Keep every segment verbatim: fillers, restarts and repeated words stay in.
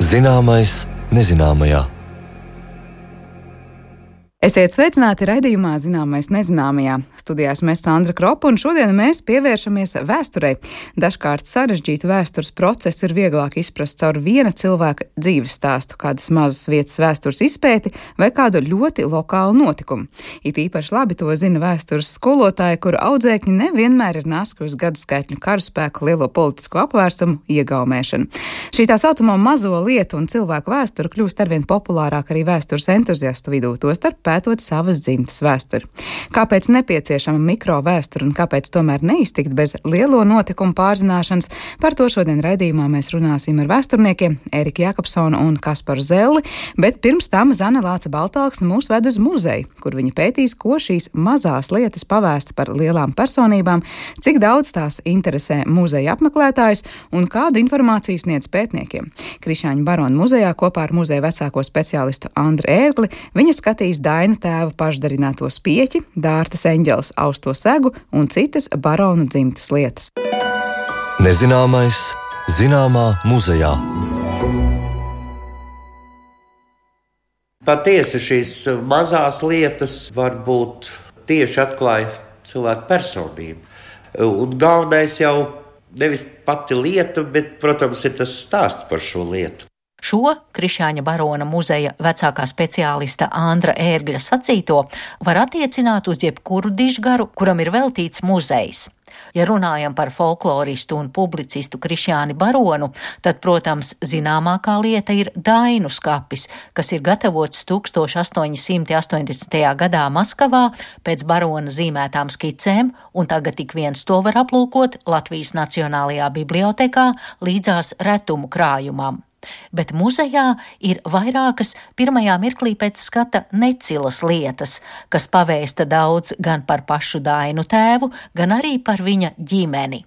Zināmais nezināmajā. Esiet sveicināti raidījumā Zināmais nezināmajā. Studijās mēs Sandra Kropa, un šodien mēs pievēršamies vēsturei. Dažkārt sarežģītu vēstures procesu ir vieglāk izprast caur viena cilvēka dzīves stāstu, kādas mazas vietas vēstures izpēti vai kādu ļoti lokālu notikumu. It īpaši labi to zina vēstures skolotāji, kuru audzēkņi nevienmēr ir naski uz gadaskaitļu karaspēku lielo politisko apvērsumu iegaumēšanu. Šī tā saucamo mazo lietu un cilvēku vēsture kļūst arvien populārāk arī vēstures entuziastu vidū, tostarp pētot savas dzimtas vēsturi. Kāpēc nepieciešama mikro vēsture un kāpēc tomēr neiztikt bez lielo notikumu pārzināšanas, par to šodien raidījumā mēs runāsim ar vēsturniekiem Eriku Jakobsonu un Kasparu Zelli, bet pirms tam Zane Lāce Baltāksne mūs ved uz muzeju, kur viņa pētīs, ko šīs mazās lietas pavēsta par lielām personībām, cik daudz tās interesē muzeja apmeklētājus un kādu informāciju sniedz pētniekiem. Krišāņu baronu muzejā kopā ar muzeja vecāko speciālistu Andru Ērgli viņa skatīs Dainu tēva pašdarināto spieķi, Dārtas eņģeles austo segu un citas baronu dzimtas lietas. Nezināmais zināmā muzejā. Patiesi šīs mazās lietas varbūt tieši atklāja cilvēku personību. Un galvenais jau nevis pati lieta, bet, protams, ir tas stāsts par šo lietu. Šo Krišāņa barona muzeja vecākā speciālista Andra Ērgļa sacīto var attiecināt uz jebkuru dižgaru, kuram ir veltīts muzejs. Ja runājam par folkloristu un publicistu Krišāni baronu, tad, protams, zināmākā lieta ir Dainu skapis, kas ir gatavots tūkstoš astoņi simti astoņdesmitajā gadā Maskavā pēc barona zīmētām skicēm, un tagad ik viens to var aplūkot Latvijas Nacionālajā bibliotekā līdzās retumu krājumam. Bet muzejā ir vairākas pirmajā mirklī pēc skata necilas lietas, kas pavēsta daudz gan par pašu Dainu tēvu, gan arī par viņa ģimeni.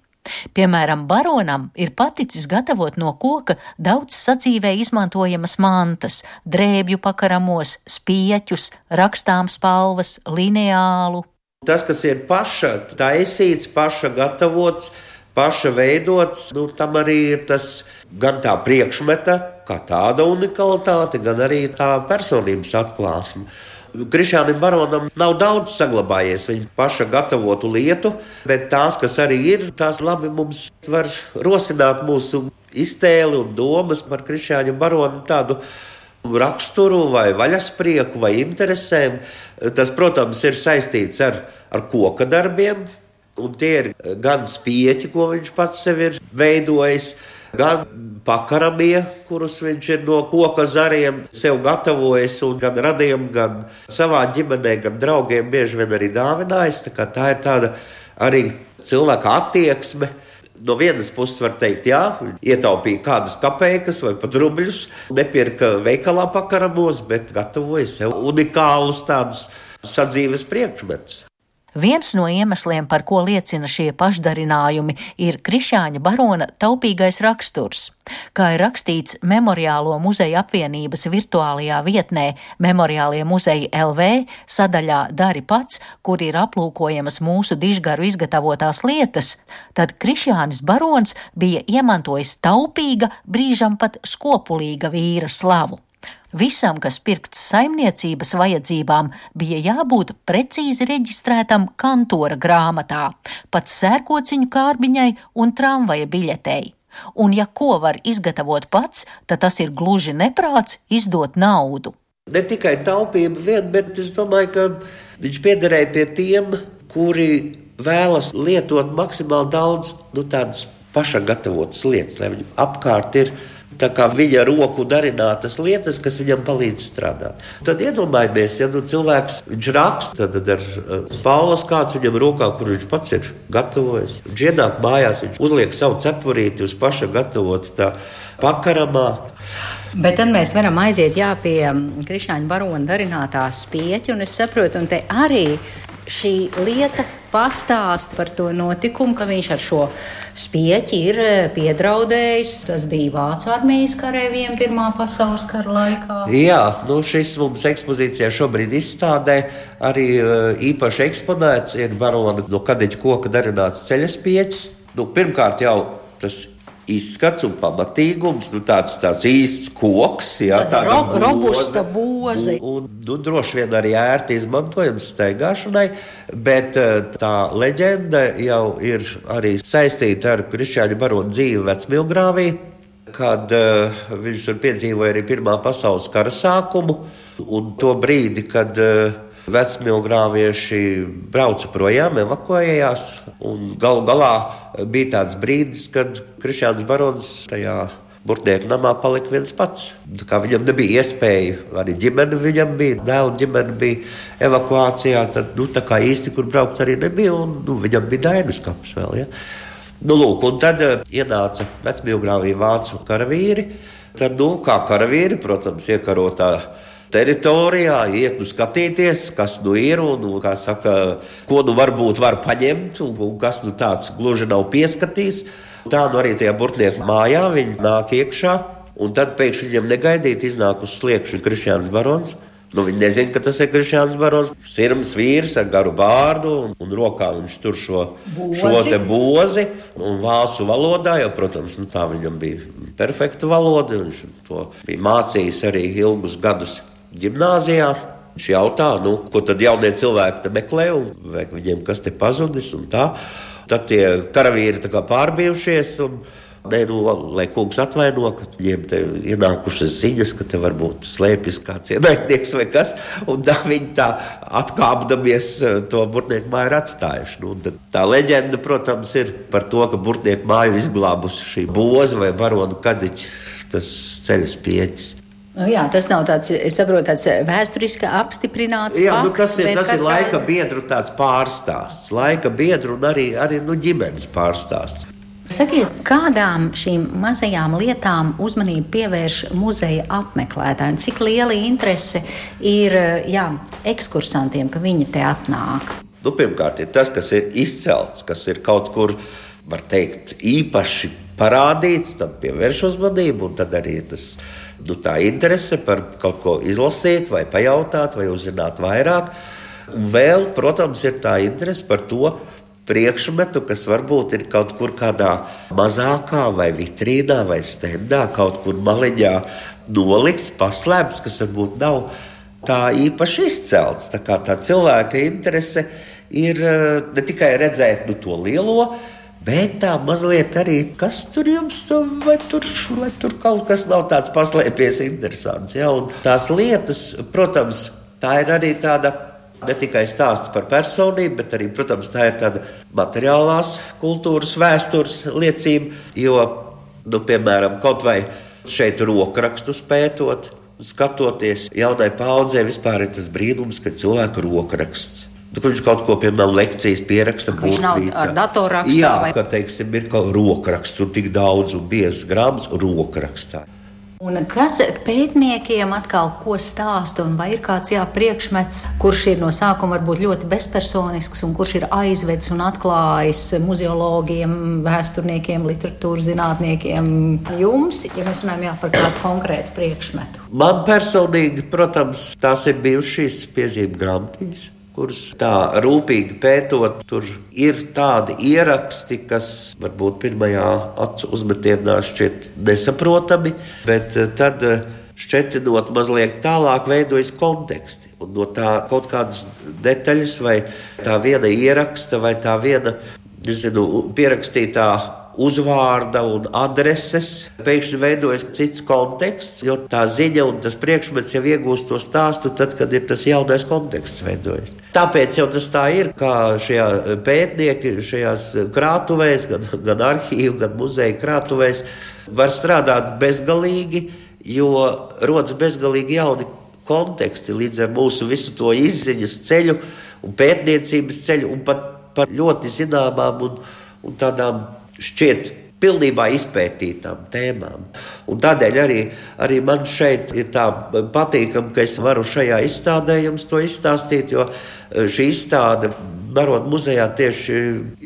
Piemēram, baronam ir paticis gatavot no koka daudz sadzīvē izmantojamas mantas, drēbju pakaramos, spieķus, rakstām spalvas, lineālu. Tas, kas ir paša taisīts, paša gatavots, paša veidots, nu, tam arī ir tas gan tā priekšmeta, kā tāda unikalitāte, gan arī tā personības atklāsme. Krišānim baronam nav daudz saglabājies viņa paša gatavotu lietu, bet tās, kas arī ir, tās labi mums var rosināt mūsu iztēli un domas par Krišāņa baronu tādu raksturu vai vaļasprieku vai interesēm. Tas, protams, ir saistīts ar, ar koka darbiem. Un tie ir gan spieķi, ko viņš pats sev ir veidojis, gan pakaramie, kurus viņš ir no koka zariem sev gatavojis un gan radiem, gan savā ģimenē, gan draugiem bieži vien arī dāvinājis. Tā kā tā ir tāda arī cilvēka attieksme. No vienas puses var teikt, jā, ietaupīja kādas kapeikas vai pat rubļus, nepirka veikalā pakaramos, bet gatavoja sev unikālus tādus sadzīves priekšmetus. Viens no iemesliem, par ko liecina šie pašdarinājumi, ir Krišāņa barona taupīgais raksturs. Kā ir rakstīts Memoriālo muzeja apvienības virtuālajā vietnē Memoriālie muzeji L V sadaļā Dari pats, kur ir aplūkojamas mūsu dižgaru izgatavotās lietas, tad Krišānis barons bija iemantojis taupīga, brīžam pat skopulīga vīra slavu. Visam, kas pirkts saimniecības vajadzībām, bija jābūt precīzi reģistrētam kantora grāmatā, pat sērkociņu kārbiņai un tramvaja biļetei. Un ja ko var izgatavot pats, tad tas ir gluži neprāts izdot naudu. Ne tikai taupība vien, bet es domāju, ka viņš piederēja pie tiem, kuri vēlas lietot maksimāli daudz, nu, tādas paša gatavotas lietas, lai viņam apkārt ir tā kā viņa roku darinātas lietas, kas viņam palīdz strādāt. Tad iedomājamies, ja nu cilvēks, viņš raksta, tad ar spalvas kāds viņam rokā, kur viņš pats ir gatavojis. Viņš ienāk mājās, viņš uzliek savu cepurīti uz paša gatavots tā pakaramā. Bet tad mēs varam aiziet jā pie Krišāņa barona darinātā spieķa, un es saprotu, un te arī šī lieta pastāst par to notikumu, ka viņš ar šo spieķi ir piedraudējis. Tas bija Vācu armijas kareiviem Pirmā pasaules kara laikā. Jā, nu šis mums ekspozīcijā šobrīd izstādē arī īpaši eksponēts ir barona no kadeģa koka darināts ceļaspieķis. Nu, pirmkārt jau tas izskats un pamatīgums, nu tāds, tāds īsts koks, jā, tāda ro robusta boze. Un, un nu, droši vien arī ērti izmantojams staigāšanai, bet tā leģenda jau ir arī saistīta ar Krišjāņa barona dzīvi Vecmilgrāvī, kad uh, viņš tur piedzīvoja arī Pirmā pasaules kara sākumu, un to brīdi, kad uh, vecmilgrāvieši brauca projām, evakuējās, un galu galā bija tāds brīdis, kad Krišjāns barons tajā Burtnieku namā palika viens pats. Tā kā viņam nebija iespēja, arī ģimene viņam bija, dēlu ģimene bija evakuācijā, tad nu, tā kā īsti, kur braukt arī nebija, un nu, viņam bija Dainas kaps vēl, ja. Nu, lūk, un tad uh, ienāca Vecmilgrāvī vācu karavīri, tad, nu, kā karavīri, protams, iekarotā teritorijā, iet nu skatīties, kas nu ir un, un kā saka, ko nu varbūt var paņemt un, un kas nu tāds gluži nav pieskatījis. Tā nu arī tajā Burtnieku mājā viņi nāk iekšā un tad pēkšņi viņam negaidīt iznāk uz sliekšņa Krišjāns barons. Nu, viņi nezina, ka tas ir Krišjāns barons. Sirms vīrs ar garu bārdu un, un rokā viņš tur šo, šo te bozi un vācu valodā, jo, protams, nu, tā viņam bija perfekta valoda. Viņš to bija mācījis arī ilgus gadus ģimnāzijā. Viņš jautā, nu, ko tad jaunie cilvēki te meklē un vai viņiem kas te pazudis un tā. Tad tie karavīri tā kā pārbijušies un ne, nu, lai kungs atvaino, ka viņiem te ienākušas ziņas, ka te varbūt slēpjas kāds ienaidnieks vai kas, un tā viņi tā atkāpdamies to Burtnieku māju ir atstājuši. Nu, tā leģenda, protams, ir par to, ka Burtnieku māju izglābusi šī boza vai barona Kadiķa, tas ceļas pieķis. Nu, jā, tas nav tāds, es saprotu, tāds vēsturiski apstiprināts jā, fakts. Nu, tas ir, tas ir laika reiz... biedru tāds pārstāsts, laika biedru un arī, arī nu, ģimenes pārstāsts. Sakiet, kādām šīm mazajām lietām uzmanību pievērš muzeja apmeklētāji? Cik liela interese ir jā, ekskursantiem, ka viņi te atnāk? Nu, pirmkārt, ir tas, kas ir izcelts, kas ir kaut kur, var teikt, īpaši parādīts, tam pievērš uzmanību, un tad arī tas, nu, tā interese par kaut ko izlasīt, vai pajautāt, vai uzzināt vairāk. Un vēl, protams, ir tā interese par to priekšmetu, kas varbūt ir kaut kur kādā mazākā vai vitrīnā vai stendā, kaut kur maliņā nolikts, paslēpts, kas varbūt nav tā īpaši izcelts. Tā kā tā cilvēka interese ir ne tikai redzēt nu, to lielo, bet tā mazliet arī, kas tur jums, vai tur, vai tur kaut kas nav tāds paslēpies interesants. Ja? Un tās lietas, protams, tā ir arī tāda ne tikai stāsts par personību, bet arī, protams, tā ir tāda materiālās kultūras vēstures liecība, jo, nu, piemēram, kaut vai šeit rokrakstus pētot, skatoties jaunai paudzē, vispār ir tas brīnums, ka cilvēku rokraksts. Nu, viņš kaut ko, piemēram, lekcijas pieraksta būtnīcā. Viņš nav ar datorrakstā? Jā, vai... ka, teiksim, ir kaut rokraksts un tik daudz un biezs grāmatas rokrakstā. Un kas pētniekiem atkal ko stāsta, un vai ir kāds jā, priekšmets, kurš ir no sākuma varbūt ļoti bezpersonisks, un kurš ir aizvedis un atklājis muzeologiem, vēsturniekiem, literatūras zinātniekiem jums, ja mēs runājam jā, par kādu konkrētu priekšmetu? Man personīgi, protams, tās ir bijušas šīs piezīmes grāmatiņas, kuras tā rūpīgi pētot, tur ir tādi ieraksti, kas varbūt pirmajā acu uzmetienā šķiet nesaprotami, bet tad šķetinot mazliet tālāk veidojas konteksti. Un no tā kaut kādas detaļas vai tā viena ieraksta vai tā viena, nezinu, pierakstītā uzvārda un adreses, pēkšņi veidojas cits konteksts, jo tā ziņa un tas priekšmets jau iegūst to stāstu tad, kad ir tas jaunais konteksts veidojas. Tāpēc jau tas tā ir, kā šajā pētnieki, šajās krātuvēs, gan, gan arhīvu, gan muzeja krātuvēs, var strādāt bezgalīgi, jo rodas bezgalīgi jauni konteksti līdz ar mūsu visu to izziņas ceļu un pētniecības ceļu un pat par ļoti zināmām un, un tādām šķiet pilnībā izpētītām tēmām. Un tādēļ arī, arī man šeit ir tā patīkam, ka es varu šajā izstādē jums to izstāstīt, jo šī izstāde Barona muzejā tieši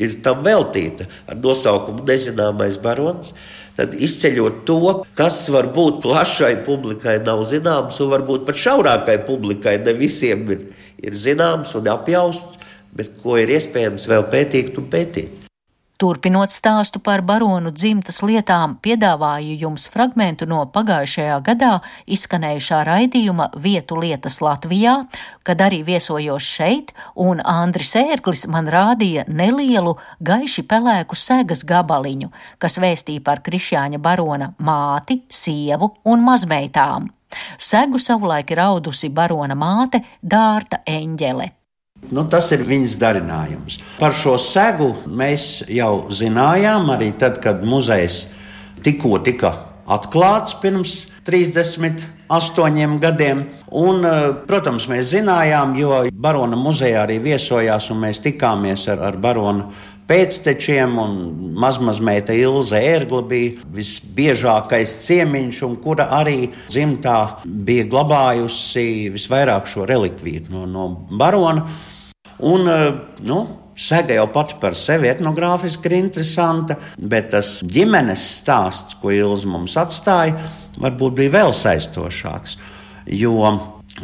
ir tam veltīta ar nosaukumu Nezināmais barons. Tad izceļot to, kas varbūt plašai publikai nav zināms un varbūt pat šaurākai publikai ne visiem ir, ir zināms un apjausts, bet ko ir iespējams vēl pētīt un pētīt. Turpinot stāstu par baronu dzimtas lietām, piedāvāju jums fragmentu no pagājušajā gadā izskanējušā raidījuma Vietu lietas Latvijā, kad arī viesojos šeit, un Andris Ērglis man rādīja nelielu gaiši pelēku segas gabaliņu, kas vēstīja par Krišjāņa barona māti, sievu un mazmeitām. Segu savulaik ir audusi barona māte Dārta Eņģele. Nu, tas ir viņas darinājums. Par šo segu mēs jau zinājām arī tad, kad muzejs tikko tika atklāts pirms trīsdesmit astoņiem gadiem. Un, protams, mēs zinājām, jo barona muzejā arī viesojās un mēs tikāmies ar, ar baronu pēctečiem, un mazmazmeita Ilze Ērgla bija visbiežākais ciemiņš, un kura arī dzimtā bija glabājusi visvairāk šo relikviju no, no barona. Un, nu, sega jau pati par sevi etnogrāfiski ir interesanta, bet tas ģimenes stāsts, ko Ilze mums atstāja, varbūt bija vēl saistošāks. Jo,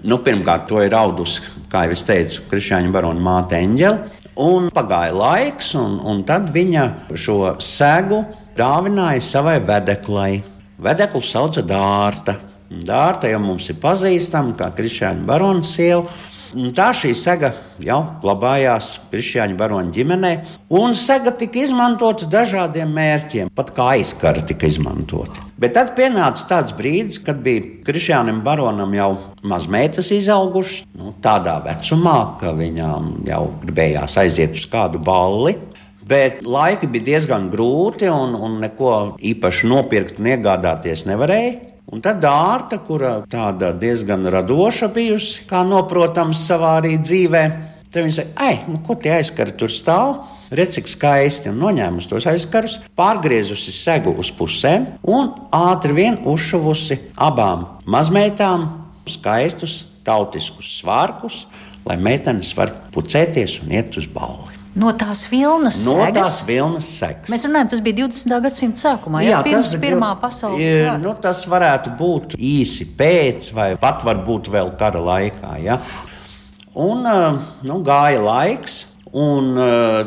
nu, pirmkārt, to ir audusi, kā jau es teicu, Krišjāņa barona māte Eņģele. Un pagāja laiks, un, un tad viņa šo segu dāvināja savai vedeklai. Vedeklu sauca Dārta. Dārta jau mums ir pazīstama kā Krišjāņa barona sieva. Un tā šī sega jau glabājās Krišjāņa barona ģimenē, un sega tika izmantota dažādiem mērķiem, pat kā aizkara tika izmantota. Bet tad pienāca tāds brīdis, kad bija Krišjānam baronam jau mazmeitas izaugušas, nu, tādā vecumā, ka viņām jau gribējās aiziet uz kādu balli. Bet laiki bija diezgan grūti, un, un neko īpaši nopirkt un iegādāties nevarēja. Un tad Dārta, kura tāda diezgan radoša bijusi, kā noprotams savā arī dzīvē, tad viņa saka, ai, nu ko tie aizkari tur stāv? Redz, cik skaisti, un noņēmusi tos aizkarus, pārgriezusi segu uz pusēm un ātri vien uzšuvusi abām mazmeitām skaistus tautiskus svārkus, lai meitenes var pucēties un iet uz balli. No tās vilnas no segas? No tās vilnas segas. Mēs runājam, tas bija divdesmitā gadsimta sākumā, jā, pirms Pirmā pasaules kara. Nu, tas varētu būt īsi pēc, vai pat varbūt vēl kara laikā. Ja? Un nu, gāja laiks, un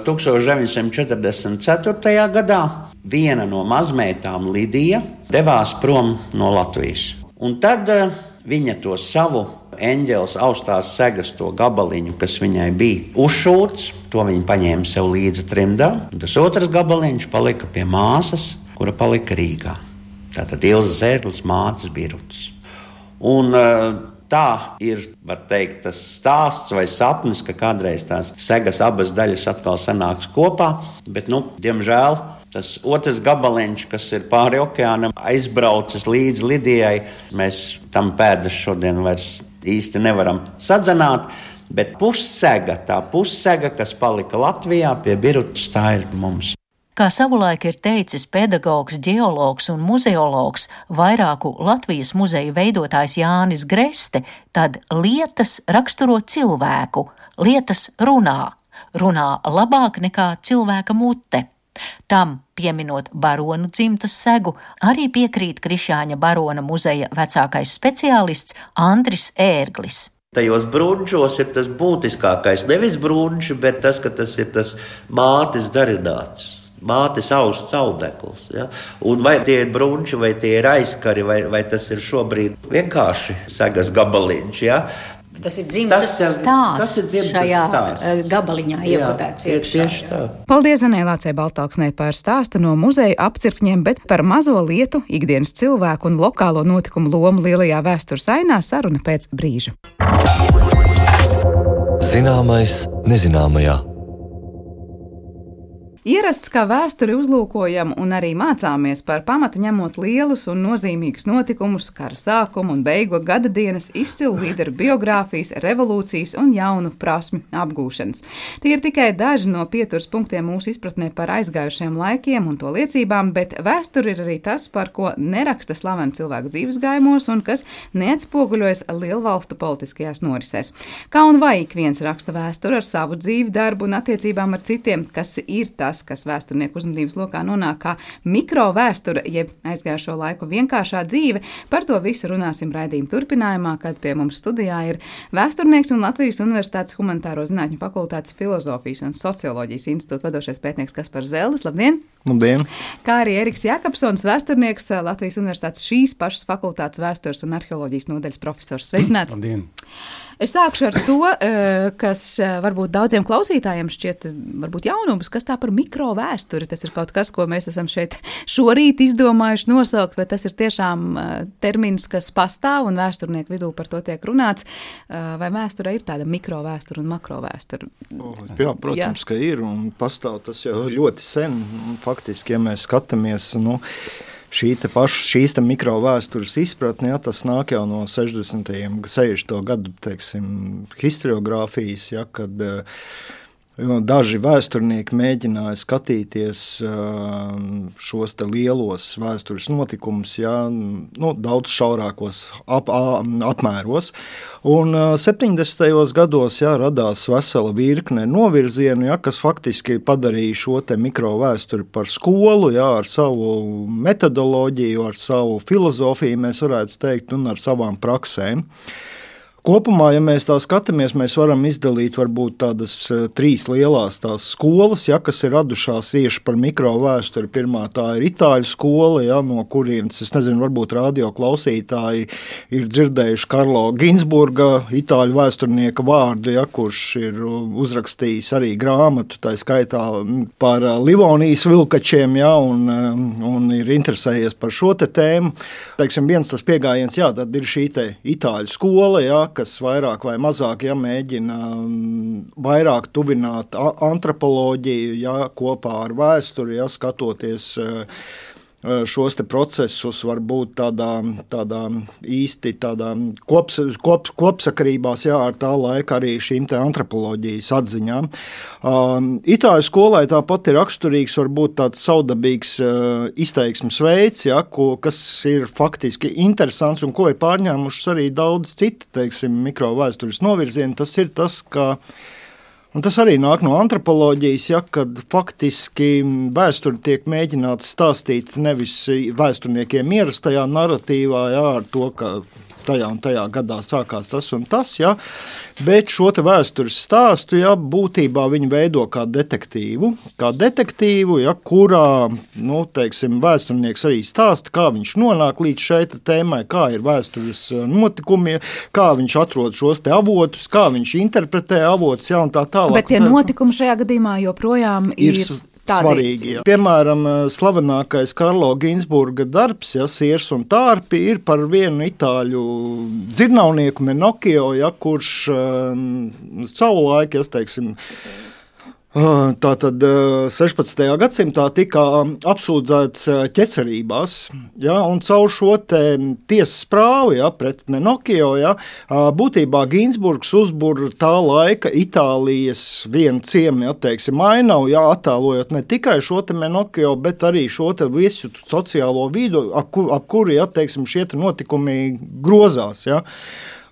tūkstoš deviņi simti četrdesmit ceturtajā gadā viena no mazmeitām, Lidija, devās prom no Latvijas. Un tad viņa to savu Eņģeles austās segas to gabaliņu, kas viņai bija uzšūts, to viņa paņēma sev līdzi trimdā. Un tas otrs gabaliņš palika pie māsas, kura palika Rīgā. Tātad Ilzes Ērgles mātes Birutas. Un tā ir, var teikt, tas stāsts vai sapnis, ka kādreiz tās segas abas daļas atkal sanāks kopā, bet, nu, diemžēl, tas otrs gabaliņš, kas ir pāri okeānam, aizbraucis līdz Lidijai, mēs tam pēdas šodien vairs īsti nevaram sadzenāt, bet pussega, tā pussega, kas palika Latvijā pie Birutas, tā ir mums. Kā savulaik ir teicis pedagogs, ģeologs un muzeologs, vairāku Latvijas muzeju veidotājs Jānis Greste, tad lietas raksturo cilvēku, lietas runā, runā labāk nekā cilvēka mute. Tam, pieminot baronu dzimtas segu, arī piekrīt Krišjāņa barona muzeja vecākais speciālists Andris Ērglis. Tajos brunčos ir tas būtiskākais, nevis brunči, bet tas, ka tas ir tas mātes darināts. Mātes austs audekls. Ja? Un vai tie ir brunči, vai tie ir aizkari, vai, vai tas ir šobrīd vienkārši segas gabaliņš. Ja? Tas ir dzimtas tas, stāsts tas ir dzimtas šajā stāsts. Gabaliņā iekotēts iekšā. Tieši tā. Paldies Zanē Lācei Baltāksnei par stāstu no muzeja apcirkņiem, bet par mazo lietu, ikdienas cilvēku un lokālo notikumu lomu lielajā vēstures ainā saruna pēc brīža. Zināmais nezināmajā. Ierasts, kā vēsturi uzlūkojam un arī mācāmies par pamatu ņemot lielus un nozīmīgus notikumus, kara sākumu un beigu gada dienas, izcilu līderu biogrāfijas, revolūcijas un jaunu prasmi apgūšanas. Tie ir tikai daži no pieturas punktiem mūsu izpratnē par aizgājušiem laikiem un to liecībām, bet vēsture ir arī tas, par ko neraksta slaveni cilvēku dzīvesgājumos un kas neatspoguļojas lielvalstu politiskajās norisēs. Kā un vai ik viens raksta vēsturi ar savu dzīvi, darbu un attiecībām ar citiem, kas ir tas, tas, kas vēsturnieku uzmanības lokā nonāk kā mikrovēsture, jeb aizgājušo laiku vienkāršā dzīve. Par to visu runāsim raidījuma turpinājumā, kad pie mums studijā ir vēsturnieks un Latvijas Universitātes Humanitāro zinātņu fakultātes filozofijas un socioloģijas institūta vadošais pētnieks Kaspars Zeldis. Labdien! Labdien! Kā arī Eriks Jakobsons, vēsturnieks, Latvijas Universitātes šīs pašas fakultātes vēstures un arheoloģijas nodaļas profesors. Sveicināti! Labdien! Es sākšu ar to, kas varbūt daudziem klausītājiem šķiet varbūt jaunums, kas tā par mikrovēsturi. Tas ir kaut kas, ko mēs esam šeit šorīt izdomājuši nosaukt, bet tas ir tiešām termins, kas pastāv un vēsturnieku vidū par to tiek runāts. Vai vēsture ir tāda mikrovēsture un makrovēsture? Jā, protams, Jā. ka ir un pastāv tas jau ļoti sen. Faktiski, ja mēs skatāmies, nu, Šī te paša, šīs te mikrovēstures izpratne, ja, tas nāk jau no sešdesmitajiem, sešdesmito gadu, teiksim, historiogrāfijas, ja, kad daži vēsturnieki mēģināja skatīties šos te lielos vēstures notikumus, ja, nu, daudz šaurākos ap, apmēros. Un septiņdesmitajos gados ja, radās vesela virkne novirzienu, ja, kas faktiski padarīja šo te mikrovēsturi par skolu, ja, ar savu metodoloģiju, ar savu filozofiju, mēs varētu teikt, un ar savām praksēm. Kopumā, ja mēs tā skatāmies, mēs varam izdalīt varbūt tādas trīs lielās tās skolas, ja, kas ir radušās tieši par mikrovēsturi. Pirmā tā ir itāļu skola, ja, no kurienes, es nezinu, varbūt radio klausītāji ir dzirdējuši Karlo Ginsburga, itāļu vēsturnieka vārdu, ja, kurš ir uzrakstījis arī grāmatu, tā skaitā par Livonijas vilkačiem, ja, un, un ir interesējies par šo te tēmu. Teiksim, viens tas piegājiens, jā, tad ir šī te itāļu skola, ja, kas vairāk vai mazāk ja, mēģina vairāk tuvināt antropoloģiju ja, kopā ar vēsturi, ja, skatoties šos te procesus varbūt tādā, tādā īsti tādā kops, kop, kopsakarībās jā, ar tā laika arī šīm te antropoloģijas atziņām. Um, Itāļu skolai tāpat ir raksturīgs varbūt tāds saudabīgs uh, izteiksmes veids, ja, ko, kas ir faktiski interesants un ko ir pārņēmušas arī daudz citi, teiksim, mikrovēstures novirzieni. Tas ir tas, ka Un tas arī nāk no antropoloģijas, ja, kad faktiski vēsturi tiek mēģināts stāstīt nevis vēsturniekiem ierastajā narratīvā, ja, ar to, ka tajā un tajā gadā sākās tas un tas, ja, bet šo te vēstures stāstu, ja, būtībā viņi veido kā detektīvu, kā detektīvu, ja, kurā, nu, teiksim, vēsturnieks arī stāsta, kā viņš nonāk līdz šai tēmai, kā ir vēstures notikumi, kā viņš atrod šos te avotus, kā viņš interpretē avotus, ja, un tā tālāk. Bet tie notikumi šajā gadījumā joprojām ir... ir... Tādi. Svarīgi. Jā. Piemēram, slavenākais Karlo Ginsburga darbs, ja, Siers un tārpi, ir par vienu itāļu dzirnavnieku Menokio, ja, kurš um, savulaik, ja, teiksim, tātad sešpadsmitajā gadsimtā tika apsūdzēts ķecerībās, ja, un caur šo te tiesas prāvu, ja, pret Menokio, ja, būtībā Ginsburgs uzbur tā laika Itālijas vienu ciemu, ja, teiksim, ainavu, ja, attēlojot ne tikai šo te Menokio, bet arī šo te visu sociālo vidu, ap, ap kuri, ja, teiksim, šie te notikumi grozās, ja.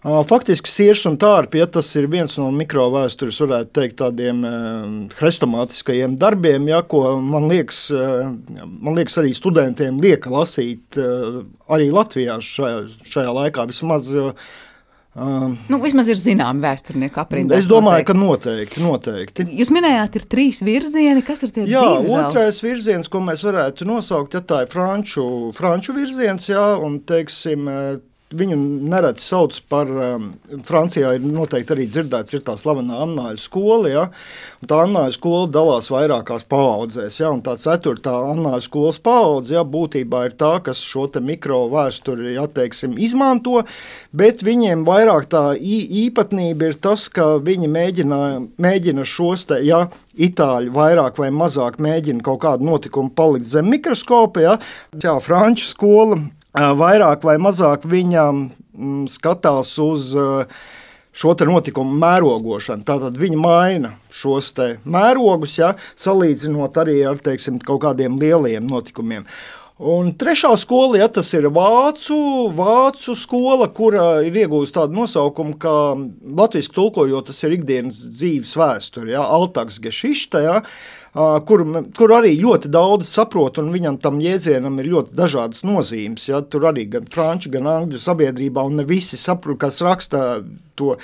Faktiski Siers un tārpi, ja, tas ir viens no mikrovēstures, varētu teikt, tādiem hrestomātiskajiem darbiem, ja, ko man liekas, man liekas arī studentiem lieka lasīt arī Latvijā šajā, šajā laikā vismaz. Nu, vismaz ir zināmi vēsturnieku aprindās. Es domāju, ka noteikti, noteikti. Jūs minējāt, ir trīs virzieni, kas ir tie jā, divi vēl? Jā, otrais virziens, ko mēs varētu nosaukt, ja tā ir franču, franču virziens, jā, un teiksim, viņu nereti sauc par, um, Francijā ir noteikti arī dzirdēts, ir tā slavenā Annāļu skola, ja, un tā Annāļu skola dalās vairākās paaudzēs, ja, un tā ceturtā Annāļu skolas paudze, ja, būtībā ir tā, kas šo te mikrovēsturi, ja, teiksim, izmanto, bet viņiem vairāk tā īpatnība ir tas, ka viņi mēģina, mēģina šos te, ja, Itāļi vairāk vai mazāk mēģina kaut kādu notikumu palikt zem mikroskopa, ja, jā, franču skola, vairāk vai mazāk viņam skatās uz šo te notikumu mērogošanu. Tātad viņi maina šos te mērogus, ja, salīdzinot arī ar, teiksim, kaut kādiem lieliem notikumiem. Un trešā skola, ja, tas ir vācu, vācu skola, kura ir iegūst tādu nosaukumu, kā latviski tulkojot, tas ir ikdienas dzīves vēsture, ja, Alltagsgeschichte, ja. Kur, kur arī ļoti daudz saprot, un viņam tam jēdzienam ir ļoti dažādas nozīmes. Ja? Tur arī gan franču, gan angļu sabiedrībā, un ne visi saprot, kas raksta to.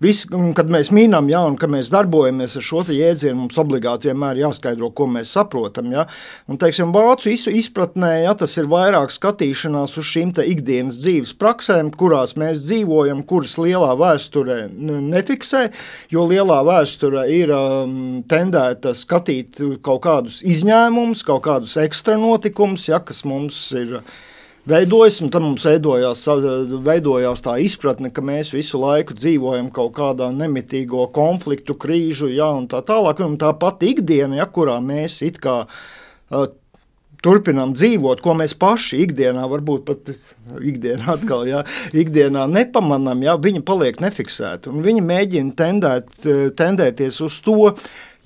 Viss, kad mēs mīnām, ja, un kad mēs darbojamies ar šo jēdzienu, mums obligāti vienmēr jāskaidro, ko mēs saprotam. Ja. Un, teiksim, vācu izpratnē, ja, tas ir vairāk skatīšanās uz šīm te ikdienas dzīves praksēm, kurās mēs dzīvojam, kuras lielā vēsture nefiksē, jo lielā vēsture ir um, tendēta skatīt kaut kādus izņēmumus, kaut kādus ekstra notikumus, ja, kas mums ir veidojas, un tad mums veidojās, veidojās tā izpratne, ka mēs visu laiku dzīvojam kaut kādā nemitīgo konfliktu, krīžu, ja, un tā tālāk, un tā pati ikdiena, ja, kurā mēs it kā uh, turpinām dzīvot, ko mēs paši ikdienā, varbūt pat ikdienā atkal, ja, ikdienā nepamanām, ja, viņa paliek nefiksēta, un viņa mēģina tendēt, tendēties uz to,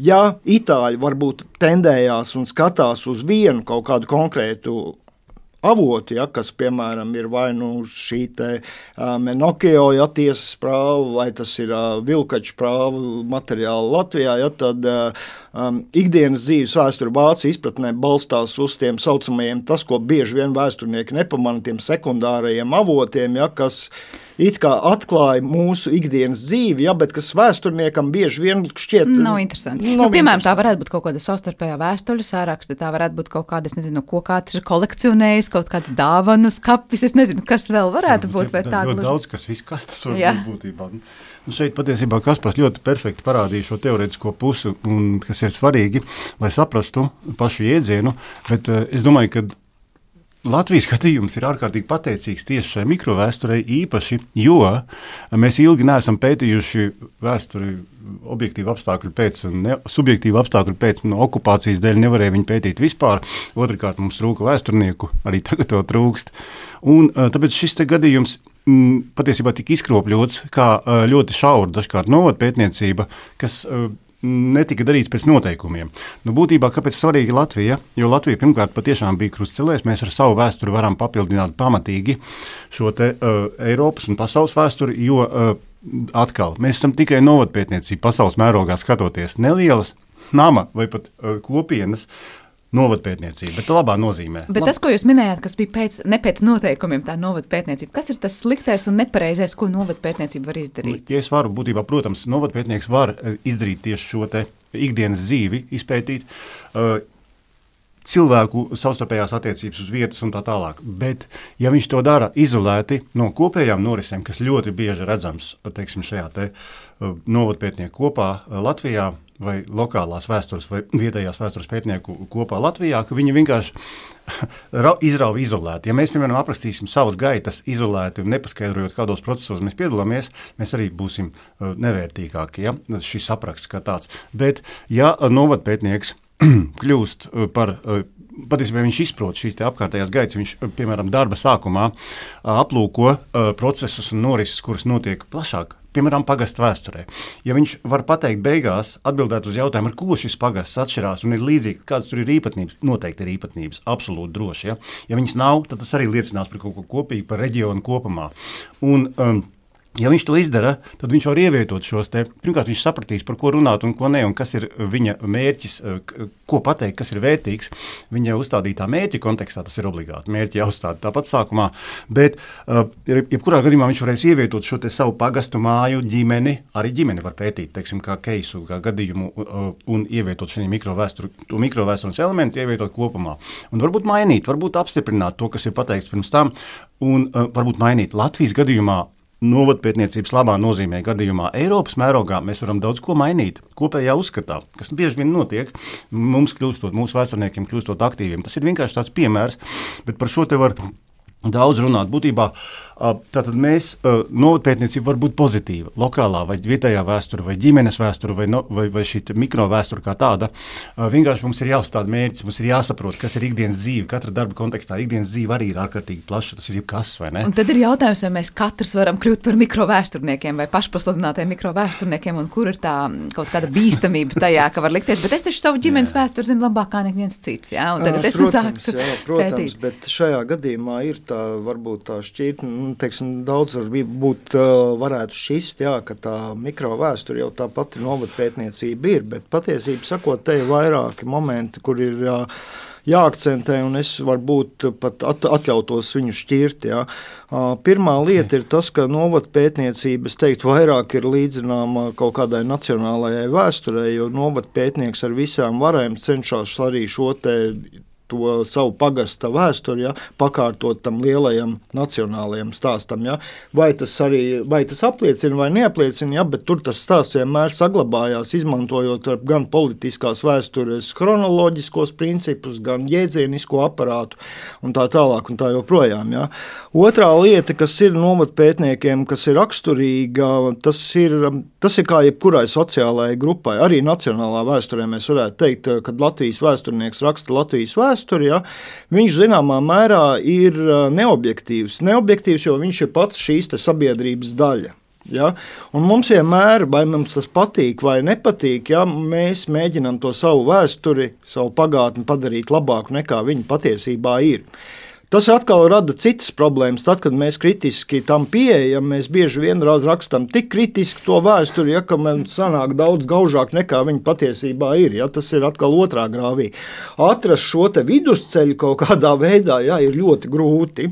ja itāļi varbūt tendējās un skatās uz vienu kaut kādu konkrētu avoti, ja, kas, piemēram, ir vai nu šī te uh, Menokio, ja, tiesas prāva, vai tas ir uh, vilkaču prāvu materiāli Latvijā, ja, tad uh, um, ikdienas dzīves vēsture vācu izpratnē balstās uz tiem saucamajiem, tas, ko bieži vien vēsturnieki nepamana, tiem sekundārajiem avotiem, ja, kas it kā atklāja mūsu ikdienas dzīvi, ja, bet kas vēsturniekam bieži vien šķiet... Nav interesanti. Nav nu, piemēram, interesanti. Tā varētu būt kaut kāda savstarpējā vēstuļu sāraksta, tā varētu būt kaut kāda, es nezinu, ko kāds ir kolekcionējis, kaut kāds dāvanu skapis, es nezinu, kas vēl varētu būt, vai tā gluži. Daudz, kas viss, kas tas var būt būtībā. Nu, šeit patiesībā Kaspars ļoti perfekti parādīja šo teorētisko pusi, un, kas ir svarīgi, lai saprastu pašu jēdzienu, bet uh, es domāju, ka Latvijas skatījums ir ārkārtīgi pateicīgs tieši šai mikrovēsturei īpaši, jo mēs ilgi neesam pētījuši vēsturi objektīvu apstākļu pēc, ne, subjektīvu apstākļu pēc, no okupācijas dēļ nevarēja viņu pētīt vispār. Otrakārt mums trūka vēsturnieku, arī tagad to trūkst. Un tāpēc šis te gadījums m, patiesībā tika izkropļots kā ļoti šaura dažkārt novadpētniecība, kas netika darīts pēc noteikumiem. Nu, būtībā, kāpēc svarīgi Latvija? Jo Latvija pirmkārt patiešām bija krustcelēs, mēs ar savu vēsturi varam papildināt pamatīgi šo te uh, Eiropas un pasaules vēsturi, jo uh, atkal, mēs esam tikai novadpētniecība pasaules mērogā skatoties nelielas nama vai pat uh, kopienas novadpētniecība, bet labā nozīmē. Bet Lab... tas, ko jūs minējāt, kas bija pēc, ne pēc noteikumiem tā novadpētniecība, kas ir tas sliktais un nepareizais, ko novadpētniecība var izdarīt? Ja es varu, būtībā, protams, novadpētnieks var izdarīt tieši šo te ikdienas dzīvi, izpētīt uh, cilvēku savstarpējās attiecības uz vietas un tā tālāk, bet ja viņš to dara izolēti no kopējām norisēm, kas ļoti bieži redzams, teiksim, šajā te uh, novadpētnieku kopā uh, Latvijā, vai lokālās vēstures vai vietējās vēstures pētnieku kopā Latvijā, ka viņi vienkārši izrauj izolēti. Ja mēs, piemēram, aprakstīsim savas gaitas izolēti un nepaskaidrojot, kādos procesos mēs piedalāmies, mēs arī būsim uh, nevērtīgāki, ja, šis apraksts kā tāds. Bet, ja novadpētnieks kļūst uh, par... Uh, Patiesībā viņš izprot šīs te apkārtējās gaitas, viņš, piemēram, darba sākumā uh, aplūko uh, procesus un norises, kuras notiek plašāk, piemēram, pagasta vēsturē. Ja viņš var pateikt beigās, atbildēt uz jautājumu, ar ko šis pagasts atšķirās un ir līdzīgi, kādas tur ir īpatnības, noteikti ir īpatnības, absolūti droši. Ja, ja viņas nav, tad tas arī liecinās par kaut ko kopīgu, par reģionu kopumā. Un, um, Ja viņš to izdara, tad viņš var ievietot šos te, pirmkārt viņš sapratīs, par ko runāt un ko ne, un kas ir viņa mērķis, ko pateikt, kas ir vērtīgs. Viņa uzstādītā mērķa kontekstā tas ir obligāti. Mērķi jāuzstāda tāpat sākumā, bet uh, jebkurā gadījumā viņš varēs ievietot šo te savu pagastu māju, ģimeni, arī ģimeni var pētīt, teiksim, kā keisu, kā gadījumu uh, un ievietot šī mikrovēsturu, to mikrovēstures elementu ievietot kopumā. Un varbūt mainīt, varbūt apstiprināt to, kas ir pateikts pirms tam, un uh, varbūt mainīt Latvijas gadījumā. Novadpētniecības labā nozīmē gadījumā Eiropas mērogā mēs varam daudz ko mainīt kopējā uzskatā, kas bieži vien notiek, mums kļūstot, mūsu vēsturniekiem kļūstot aktīviem. Tas ir vienkārši tāds piemērs, bet par šo te var daudz runāt. Būtībā tātad mēs, novadpētniecība var būt pozitīva, lokālā vai vietējā vēsture, vai ģimenes vēsture, vai, no, vai, vai šī mikrovēsture kā tāda. Vienkārši mums ir jāuzstāda mērķis, mums ir jāsaprot, kas ir ikdienas dzīve, katra darba kontekstā. Ikdienas dzīve arī ir ārkārtīgi plaša, tas ir jebkas, vai ne? Un tad ir jautājums, vai mēs katrs varam kļūt par mikrovēsturniekiem vai pašpasludinātiem mikrovēsturniekiem, un kur ir tā kaut kāda bīstamība tajā, ka var likties, bet es taču savu ģimenes vēsturi zinu labāk kā neviens cits, jā, un tagad es protams, jā, protams, bet šajā gadījumā ir tā, varbūt tā šķirtne, teiksim, daudz varbūt varētu šķist, jā, ka tā mikrovēsture jau tā pati novadpētniecība ir, bet patiesība sakot, te ir vairāki momenti, kur ir jā, jāakcentē, un es varbūt pat at, atļautos viņu šķirt. Jā. Pirmā lieta ir tas, ka novadpētniecība, es teiktu, vairāk ir līdzināma kaut kādai nacionālajai vēsturei, jo novadpētnieks ar visām varēm cenšas arī šo te to savu pagasta vēsturi, ja, pakārtot tam lielajam nacionālajam stāstam. Ja. Vai tas arī, vai tas apliecina vai neapliecina, ja, bet tur tas stāsts vienmēr saglabājās, izmantojot gan politiskās vēstures chronoloģiskos principus, gan jēdzienisko aparātu un tā tālāk un tā joprojām. Ja. Otrā lieta, kas ir novadpētniekiem, kas ir raksturīga, tas ir, tas ir kā jebkurai sociālajai grupai. Arī nacionālā vēsturē mēs varētu teikt, kad Latvijas vēsturnieks raksta Latvijas vēsturi, Vēsturi, ja, viņš zināmā mērā ir neobjektīvs. Neobjektīvs, jo viņš ir pats šīs te sabiedrības daļa. Ja? Un mums vienmēr, vai mums tas patīk vai nepatīk, ja, mēs mēģinām to savu vēsturi, savu pagātni padarīt labāku nekā viņa patiesībā ir. Tas atkal rada citas problēmas. Tad, kad mēs kritiski tam pieejam, mēs bieži vien rakstām tik kritiski to vēsturi, ja, ka mums sanāk daudz gaužāk nekā viņa patiesībā ir. Ja. Tas ir atkal otrā grāvī. Atrast šo te vidusceļu kaut kādā veidā, ja, ir ļoti grūti.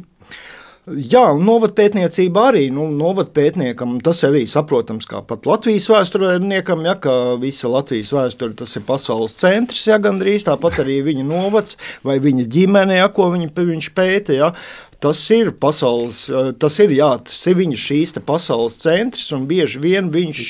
Jā, un novadpētniecība arī, nu, novadpētniekam, tas arī saprotams, kā pat Latvijas vēsturniekam, ja, ka visa Latvijas vēsture, tas ir pasaules centrs, ja, gandrīz, tāpat arī viņa novads vai viņa ģimene, ja, ko viņa, viņš pēta, ja. Tas ir pasaules, tas ir, jā, tas ir viņa šīs te pasaules centrs, un bieži vien viņš...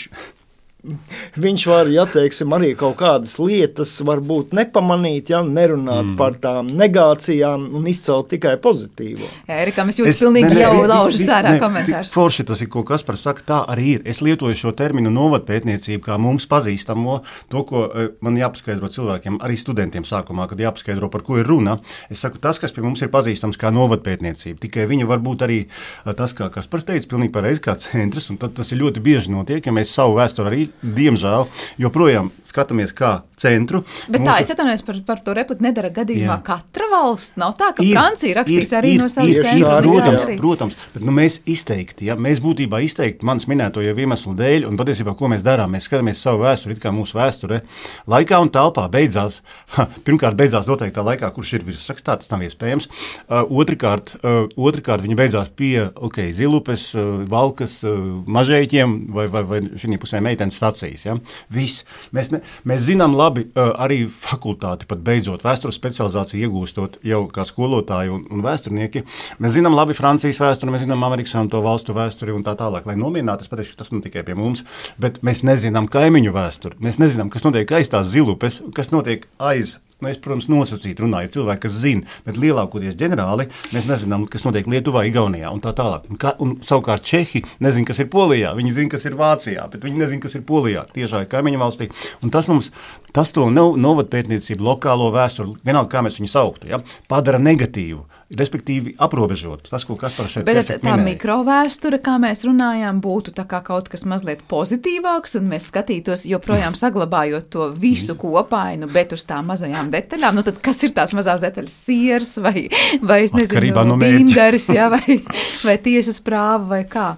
Viņš var, ja teiksim, arī kaut kādas lietas varbūt nepamanīt, ja, nerunāt mm. par tām negācijām un izcelt tikai pozitīvo. Jā, Erika, mēs jūtas pilnīgi ne, ne, jau laužas ārā komentārs. Forši tas ir, ko Kaspars saka, tā arī ir. Es lietoju šo terminu novadpētniecību kā mums pazīstamo, to, ko man jāpaskaidro cilvēkiem, arī studentiem sākumā, kad jāpaskaidro, par ko ir runa. Es saku, tas, kas pie mums ir pazīstams kā novadpētniecība, tikai viņa var būt arī tas, kā Kaspars teica, pilnīgi pareizi kā centrs, un tad tas ir ļoti bieži notiek, ja mēs savu vēsturi arī diemžēl, joprojām skatāmies kā centru. Bet Mūsu... tā, es atvainojos par, par to repliku, nedara gadījumā jā. Katra valsts. Nav tā, ka ir, Francija rakstīs ir, arī ir, no savas centra. Protams, protams, bet nu, mēs izteikti, ja, mēs būtībā izteikti manas minēto jau iemeslu dēļ, un patiesībā, ko mēs darām, mēs skatāmies savu vēsturi, it kā mūsu vēsture laikā un telpā beidzās, ha, pirmkārt beidzās noteiktā laikā, kurš ir virsrakstā, tas nav iespējams. Uh, otrkārt, uh, otrkārt, viņa beidzās pie, ok, Zilupes, uh, Valkas, uh, Mažeiķiem vai, vai, vai šī pusē meitenes sacīs, ja. Viss. Mēs, ne, mēs zinām labi, uh, arī fakultāti pat beidzot vēstures specializāciju iegūstot jau kā skolotāji un, un vēsturnieki. Mēs zinām labi Francijas vēsturi, mēs zinām Amerikas un to valstu vēsturi un tā tālāk. Lai nomierinātu, es pateikšu, tas nav tikai pie mums, bet mēs nezinām kaimiņu vēsturi. Mēs nezinām, kas notiek aiz tās Zilupes, kas notiek aiz. Nu, es, protams, nosacīt runāju, cilvēki, kas zina, bet lielākoties ģenerāli mēs nezinām, kas notiek Lietuvā, Igaunijā un tā tālāk. Un, ka, un savukārt Čehi nezina, kas ir Polijā, viņi zina, kas ir Vācijā, bet viņi nezina, kas ir Polijā, tiešā kaimiņu valstī. Un tas mums, tas to novadpētniecību, lokālo vēsturi, vienalga, kā mēs viņu sauktu, ja, padara negatīvu, respektīvi aprobežot. Tas, ko Kaspars šeit bet perfekti tā minēja. mikrovēsture, kā mēs runājām, būtu tā kā kaut kas mazliet pozitīvāks, un mēs skatītos joprojām saglabājot to visu kopainu, bet uz tām mazajām detaļām. Nu tad kas ir tās mazās detaļas? Siers vai, vai es nezinu, no binderis, ja, vai, vai tiesas prāva vai kā?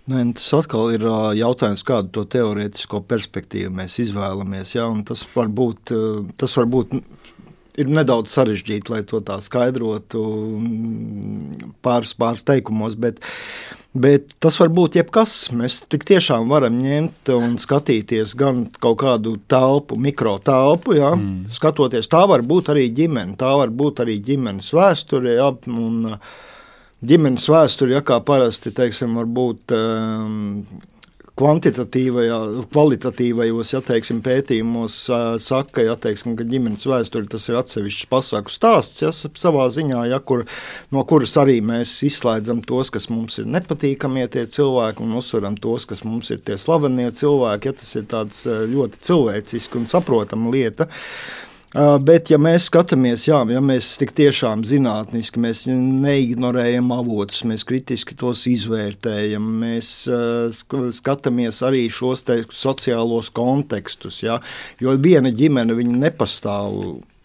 Nē, tas atkal ir jautājums, kādu to teorētisko perspektīvu mēs izvēlamies. Ja, un tas var būt, tas var būt ir nedaudz sarežģīti, lai to tā skaidrotu pāris, pāris teikumos, bet, bet tas var būt jebkas. Mēs tik tiešām varam ņemt un skatīties gan kaut kādu telpu, mikrotelpu, ja, mm. skatoties, tā var būt arī ģimene, tā var būt arī ģimenes vēsture, ja, un ģimenes vēsture, ja, kā parasti, teiksim, var būt um, kvantitatīvajā, kvalitatīvajos, ja teiksim, pētījumos saka, ja teiksim, ka ģimenes vēsture tas ir atsevišķs pasaku stāsts, ja, savā ziņā, ja, kur, no kuras arī mēs izslēdzam tos, kas mums ir nepatīkamie tie cilvēki un uzsveram tos, kas mums ir tie slavenie cilvēki, ja tas ir tāds ļoti cilvēciski un saprotama lieta. Bet, ja mēs skatāmies, jā, ja mēs tik tiešām zinātniski, mēs neignorējam avotus, mēs kritiski tos izvērtējam, mēs skatāmies arī šos te sociālos kontekstus, jā, jo viena ģimene viņa nepastāv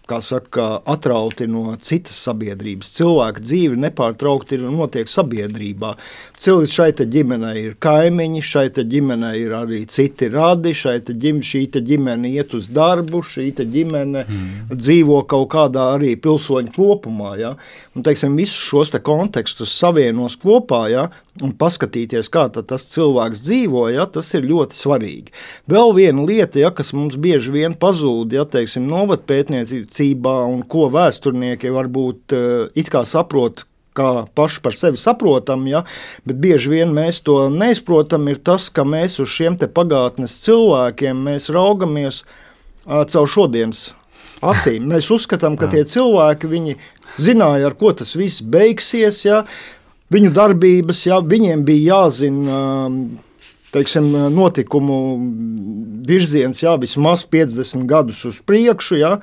kā saka, atrauti no citas sabiedrības. Cilvēka dzīve nepārtraukti ir notiek sabiedrībā. Cilvēki šai te ģimenei ir kaimiņi, šai te ģimenei ir arī citi radi, šai te ģim, šī te ģimene iet uz darbu, šī te ģimene mm. dzīvo kaut kādā arī pilsoņu kopumā. Ja? Un, teiksim, visus šos te kontekstus savienos kopā, ja? Un paskatīties, kā tas cilvēks dzīvo, ja? Tas ir ļoti svarīgi. Vēl viena lieta, ja, kas mums bieži vien pazūd, ja, teiksim, novadpētniecībā un ko vēsturnieki varbūt uh, it kā saprot, kā paši par sevi saprotam, ja, bet bieži vien mēs to neizprotam, ir tas, ka mēs uz šiem te pagātnes cilvēkiem mēs raugamies uh, caur šodienas acīm. Mēs uzskatām, ka tie cilvēki, viņi zināja, ar ko tas viss beigsies, ja, viņu darbības, ja, viņiem bija jāzina, teiksim, notikumu virziens, jā, vismaz piecdesmit gadus uz priekšu, jā.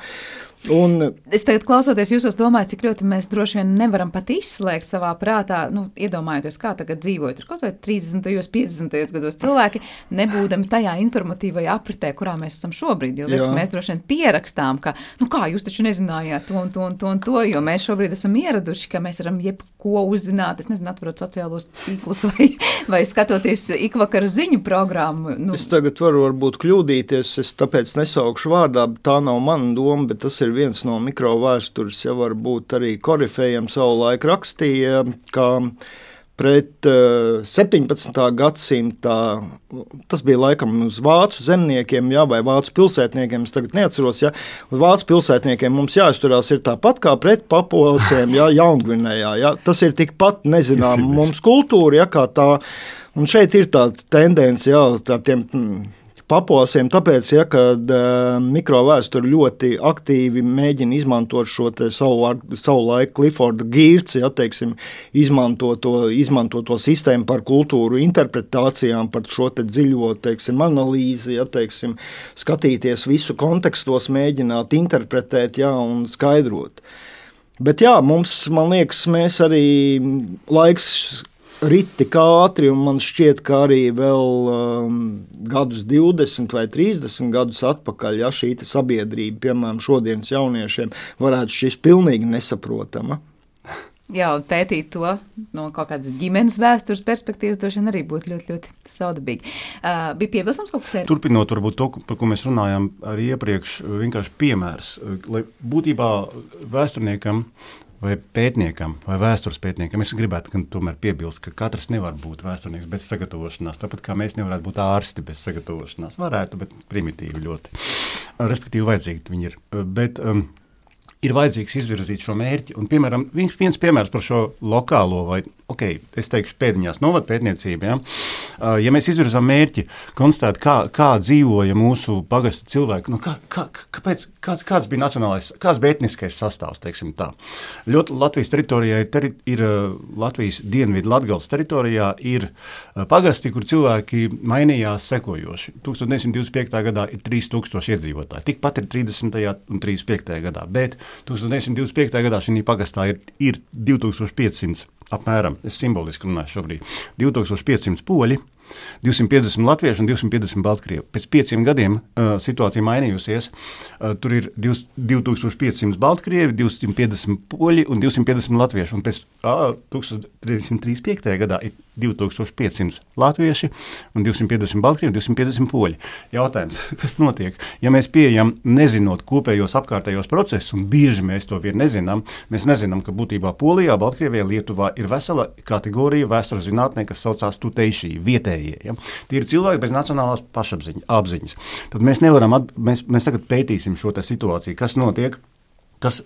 Un es tagad klausoties jūsos domāju, cik ļoti mēs droši vien nevaram pat izslēgt savā prātā, nu, iedomājoties, kā tagad dzīvojot, tur kaut vai trīsdesmitajos, piecdesmitajos gados cilvēki, nebūdami tajā informatīvajā apritē, kurā mēs esam šobrīd, jo liekas, mēs droši vien pierakstām, ka, nu kā, jūs taču nezinājāt to un to un to un to, jo mēs šobrīd esam ieraduši, ka mēs varam jebko uzzināt, es nezinu, atverot sociālos tīklus vai, vai skatoties ikvakara ziņu programmu. Nu. Es tagad varu varbūt kļūdīties, es tāpēc nesaukšu vārdā, tā nav mana doma, bet tas ir viens no mikrovēstures, ja varbūt arī korifējiem savulaik rakstīja, ka pret uh, septiņpadsmitā gadsimtā, tas bija laikam uz vācu zemniekiem, ja, vai vācu pilsētniekiem, es tagad neatceros, ja, uz vācu pilsētniekiem mums jāizturās ir tāpat kā pret papuasiem, ja, Jaungvinējā, ja, tas ir tikpat nezinām mums kultūra, ja, kā tā, un šeit ir tā tendence, ja, tā tiem papuasiem, tāpēc, ja, kad uh, mikrovēsture ļoti aktīvi mēģina izmantot šo te savu, savu laiku Clifforda Geertz, ja, teiksim, izmanto to, izmanto to sistēmu par kultūru interpretācijām, par šo te dziļo, teiksim, analīzi, ja, teiksim, skatīties visu kontekstos, mēģināt interpretēt, ja, un skaidrot. Bet jā, mums, man liekas, mēs arī laiks rit tik ātri, un man šķiet, ka arī vēl um, gadus divdesmit vai trīsdesmit gadus atpakaļ, ja šī sabiedrība, piemēram, šodienas jauniešiem, varētu šķist pilnīgi nesaprotama. Jā, un pētīt to no kaut kādas ģimenes vēstures perspektīvas droši vien arī būtu ļoti, ļoti saudabīgi. Uh, bija piebilstams kaut kas ēr? Turpinot varbūt to, par ko mēs runājām arī iepriekš, vienkārši piemērs, lai būtībā vēsturniekam vai pētniekam, vai vēstures pētniekam, es gribētu, ka tomēr piebilst, ka katrs nevar būt vēsturnieks bez sagatavošanās, tāpat kā mēs nevarētu būt ārsti bez sagatavošanās. Varētu, bet primitīvi ļoti. Respektīvi vajadzīgi viņi ir. Bet um, ir vajadzīgs izvirzīt šo mērķi, un, piemēram, viens, viens piemērs par šo lokālo vai, ok, es teikšu pēdiņās novadpētniecību, ja? Ja mēs izvirzām mērķi, konstatēt, kā, kā dzīvoja mūsu pagastu cilvēki, nu kā, kā, kāpēc, kā, kāds bija nacionālais, kāds bija etniskais sastāvs, teiksim tā. Ļoti Latvijas teritorijā ir, teri, ir Latvijas dienvidu Latgales teritorijā ir pagasti, kur cilvēki mainījās sekojoši. tūkstoš deviņsimt divdesmit piektajā gadā ir trīs tūkstoši iedzīvotāji, tikpat ir trīsdesmitajā un trīsdesmit piektajā gadā, bet tūkstoš deviņsimt divdesmit piektajā gadā šī pagastā ir, ir divi tūkstoši piecsimt apmēram, es simboliski runāju šobrīd, divi tūkstoši piecsimt poļi, divsimt piecdesmit latvieši un divsimt piecdesmit baltkrievi. Pēc pieciem gadiem uh, situācija mainījusies. Uh, tur ir divi tūkstoši piecsimt baltkrievi, divsimt piecdesmit poļi un divsimt piecdesmit latvieši. Un pēc uh, tūkstoš deviņsimt trīsdesmit piektajā gadā ir divi tūkstoši piecsimt latvieši un divsimt piecdesmit baltkrievi un divsimt piecdesmit poļi. Jautājums, kas notiek? Ja mēs pieejam nezinot kopējos apkārtējos procesus, un bieži mēs to vien nezinām, mēs nezinām, ka būtībā Polijā, Baltkrievijā, Lietuvā ir vesela kategorija vēstures zinātnē, kas saucās tuteišī, vietējie. Ja? Tie ir cilvēki bez nacionālās pašapziņas. Tad mēs nevaram, at, mēs, mēs tagad pētīsim šo te situāciju, kas notiek. Tas,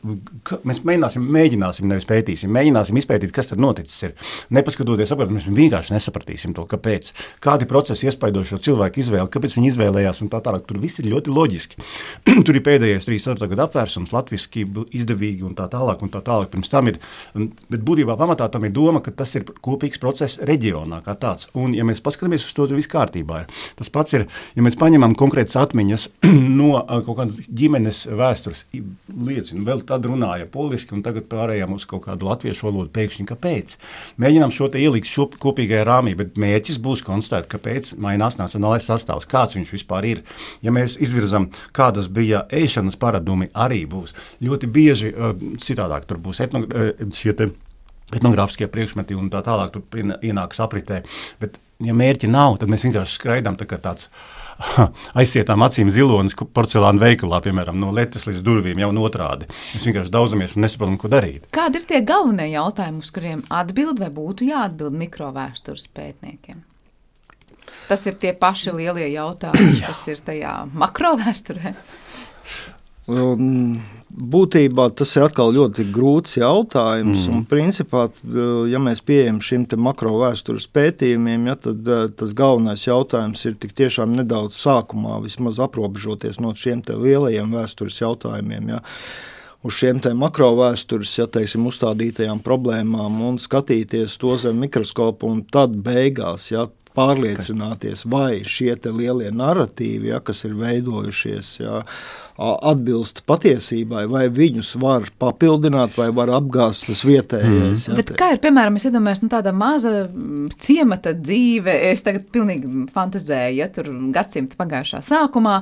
mēs mēģināsim, mēģināsim, nevis pētīsim, mēģināsim izpētīt, kas tad noticis ir. Nepaskatoties apkārt, mēs vienkārši nesapratīsim to, kāpēc. Kādi procesi iespaido šo cilvēku izvēli, kāpēc viņi izvēlējās un tā tālāk. Tur viss ir ļoti loģiski. Tur ir pēdējais trīs gadu apvērsums, latviski, izdevīgi un tā tālāk un tā tālāk. Pirms tam ir, bet būtībā pamatā tam ir doma, ka tas ir kopīgs process reģionā kā tāds. Un ja mēs paskatāmies uz to, tad viss kārtībā ir. Tas pats ir, ja mēs paņemam konkrētas atmiņas no kaut kādas ģimenes vēstures liecina. vēl tad runāja poliski, un tagad pārējām uz kaut kādu latviešu valodu pēkšņi, kāpēc. Mēģinām šo te ielikt šo kopīgajā rāmī, bet mērķis būs konstatēt, kāpēc mainās nacionālais sastāvs, kāds viņš vispār ir. Ja mēs izvirzam, kādas bija ēšanas paradumi, arī būs. Ļoti bieži citādāk tur būs etno, šie te etnogrāfiskie priekšmeti un tā tālāk tur ienāks apritē, bet ja mērķi nav, tad mēs vienkārši skraidām tā kā tāds aizsietām acīm zilonis porcelāna veikalā, piemēram, no letes līdz durvīm jau un otrādi. Mēs vienkārši daudzamies un nesaprotam, ko darīt. Kādi ir tie galvenie jautājumi, uz kuriem atbild vai būtu jāatbild mikrovēstures pētniekiem? Tas ir tie paši lielie jautājumi, kas ir tajā makrovēsturē? Un būtībā tas ir atkal ļoti grūts jautājums, mm. un principā, ja mēs pieejam šim te makrovēstures pētījumiem, ja, tad tas galvenais jautājums ir tik tiešām nedaudz sākumā vismaz aprobežoties no šiem te lielajiem vēstures jautājumiem, ja, uz šiem te makrovēstures, ja teiksim, uzstādītajām problēmām un skatīties to zem mikroskopu un tad beigās, ja, pārliecināties, vai šie te lielie narratīvi, ja, kas ir veidojušies, ja, atbilst patiesībai, vai viņus var papildināt, vai var apgāzt tas vietējais. Mm. Bet kā ir, piemēram, es iedomājos, nu, tāda maza ciemata dzīve, es tagad pilnīgi fantazēju, ja tur gadsimta pagājušā sākumā,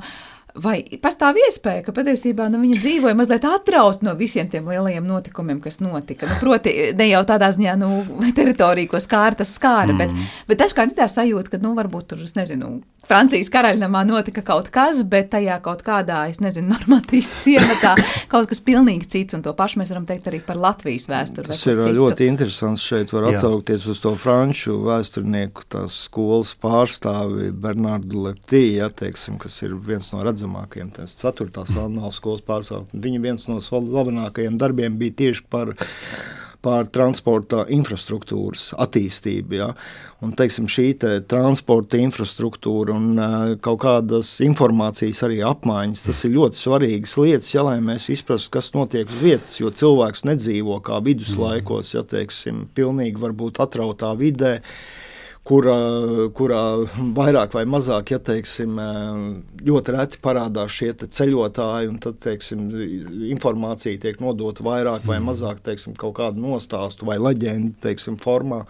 vai pastāv iespēja, ka patiesībā nu, viņa dzīvoja mazliet atraut no visiem tiem lielajiem notikumiem, kas notika. Nu, proti, ne jau tādā ziņā, nu, teritorija, ko skāra, tas skāra, mm. bet, bet dažkārt ir tā sajūta, ka, nu, varbūt tur, es nezinu, Francijas karaļnamā notika kaut kas, bet tajā kaut kādā, es nezinu, Normandijas ciematā kaut kas pilnīgi cits, un to pašu mēs varam teikt arī par Latvijas vēsturi. Tas ir citu. Ļoti interesants, šeit var atsaukties uz to franču vēsturnieku, tās skolas pārstāvi Bernardu Leptī, ja, teiksim, kas ir viens no redzamākajiem, tās ceturtās annālu skolas pārstāvi. Viņa viens no slavenākajiem darbiem bija tieši par par transporta infrastruktūras attīstību. Ja? Un, teiksim, šī te transporta infrastruktūra un uh, kaut kādas informācijas arī apmaiņas, tas ir ļoti svarīgas lietas, ja, lai mēs izprastu, kas notiek uz vietas, jo cilvēks nedzīvo kā viduslaikos, ja, teiksim, pilnīgi varbūt atrautā vidē, kurā, kurā vairāk vai mazāk, ja teiksim, ļoti reti parādās šie te ceļotāji, un tad, teiksim, informācija tiek nodota vairāk vai mazāk, teiksim, kaut kādu nostāstu vai leģendu, teiksim, formā.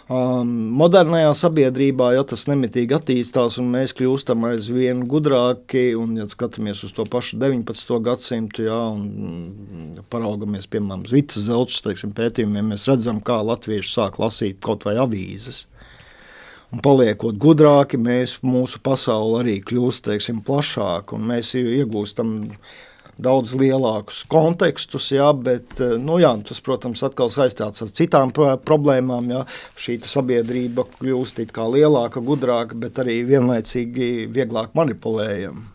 Um, modernajā sabiedrībā, ja tas nemitīgi attīstās un mēs kļūstam aizvien gudrāki, un, ja skatāmies uz to pašu deviņpadsmito gadsimtu, ja, un paraugamies, piemēram, uz Vitas Zelčas, teiksim, pētījumiem, mēs redzam, kā latvieši sāk lasīt kaut vai avīzes. Un paliekot gudrāki, mēs, mūsu pasauli arī kļūst, teiksim, plašāk, un mēs iegūstam daudz lielākus kontekstus, jā, bet, nu jā, tas, protams, atkal saistāts ar citām problēmām, jā, šī sabiedrība kļūst it kā lielāka, gudrāka, bet arī vienlaicīgi vieglāk manipulējama.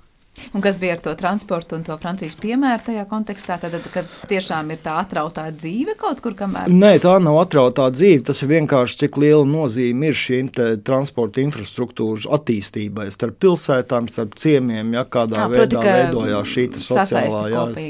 Un kas bija ar to transportu un to Francijas piemēru tajā kontekstā? Tad, kad tiešām ir tā atrautā dzīve kaut kur kamēr? Nē, tā nav atrautā dzīve. Tas ir vienkārši, cik liela nozīme ir šīm te transporta infrastruktūras attīstībai starp pilsētām, starp ciemiem, ja kādā Jā, veidā proti, veidojās šī sociālā.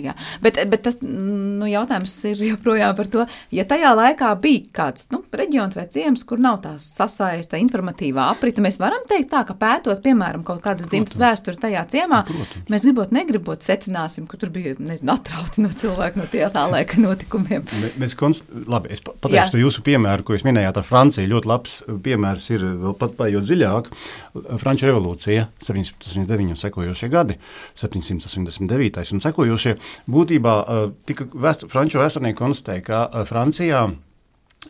Jā. Bet, bet tas nu, jautājums ir joprojām par to, ja tajā laikā bija kāds nu, reģions vai ciems, kur nav tā sasaista informatīvā aprita, mēs varam teikt tā, ka pētot, piemēram, kaut kādas dzimtas vēsturi tajā ciemā, Protams. Mēs gribot, negribot, secināsim, ka tur bija, nezinu, atrauti no cilvēku no tie tā laika notikumiem. Mēs konst... Labi, es pateikšu to jūsu piemēru, ko jūs minējāt ar Franciju. Ļoti labs piemērs ir vēl pat paiet dziļāk. Franču revolūcija, septiņsimt astoņdesmit deviņi un sekojošie gadi, septiņsimt astoņdesmit devītais un sekojošie. Būtībā tika vēstu, franču vēsturnieki konstatēja, ka Francijā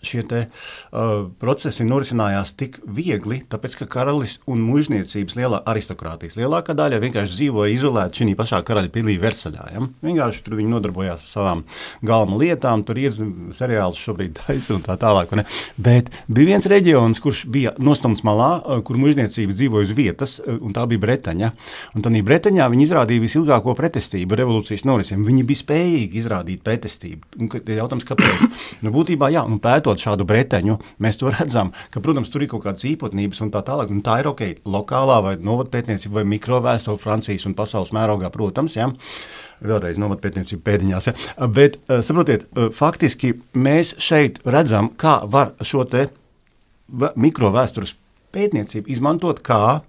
šie te uh, procesi norisinājās tik viegli, tāpēc, ka karalis un mužniecības lielā aristokrātijas lielākā daļa vienkārši dzīvoja izolēti šī pašā karaļa pilī Versaļā. Ja? Vienkārši tur viņi nodarbojās ar savām galma lietām, tur ir seriāls šobrīd taisa un tā tālāk. Ne? Bet bija viens reģions, kurš bija nostumts malā, kur mužniecība dzīvoja uz vietas, un tā bija Bretaņa. Un tādā Bretaņā viņi izrādīja visilgāko pretestību revolūcijas norisiem. Viņi bija spējīgi izrādīt pretestību. Un jautājums, kāpēc? Nu, būtībā, jā, un pētot šādu Bretaņu, mēs to redzam, ka, protams, tur ir kaut kādas īpatnības un tā tālāk, un tā ir ok, lokālā vai novadpētniecība vai mikrovēstule Francijas un pasaules mērogā, protams, ja, vēlreiz novadpētniecība pēdiņās, ja, bet, saprotiet, faktiski mēs šeit redzam, kā var šo te mikrovēstures pētniecību izmantot kā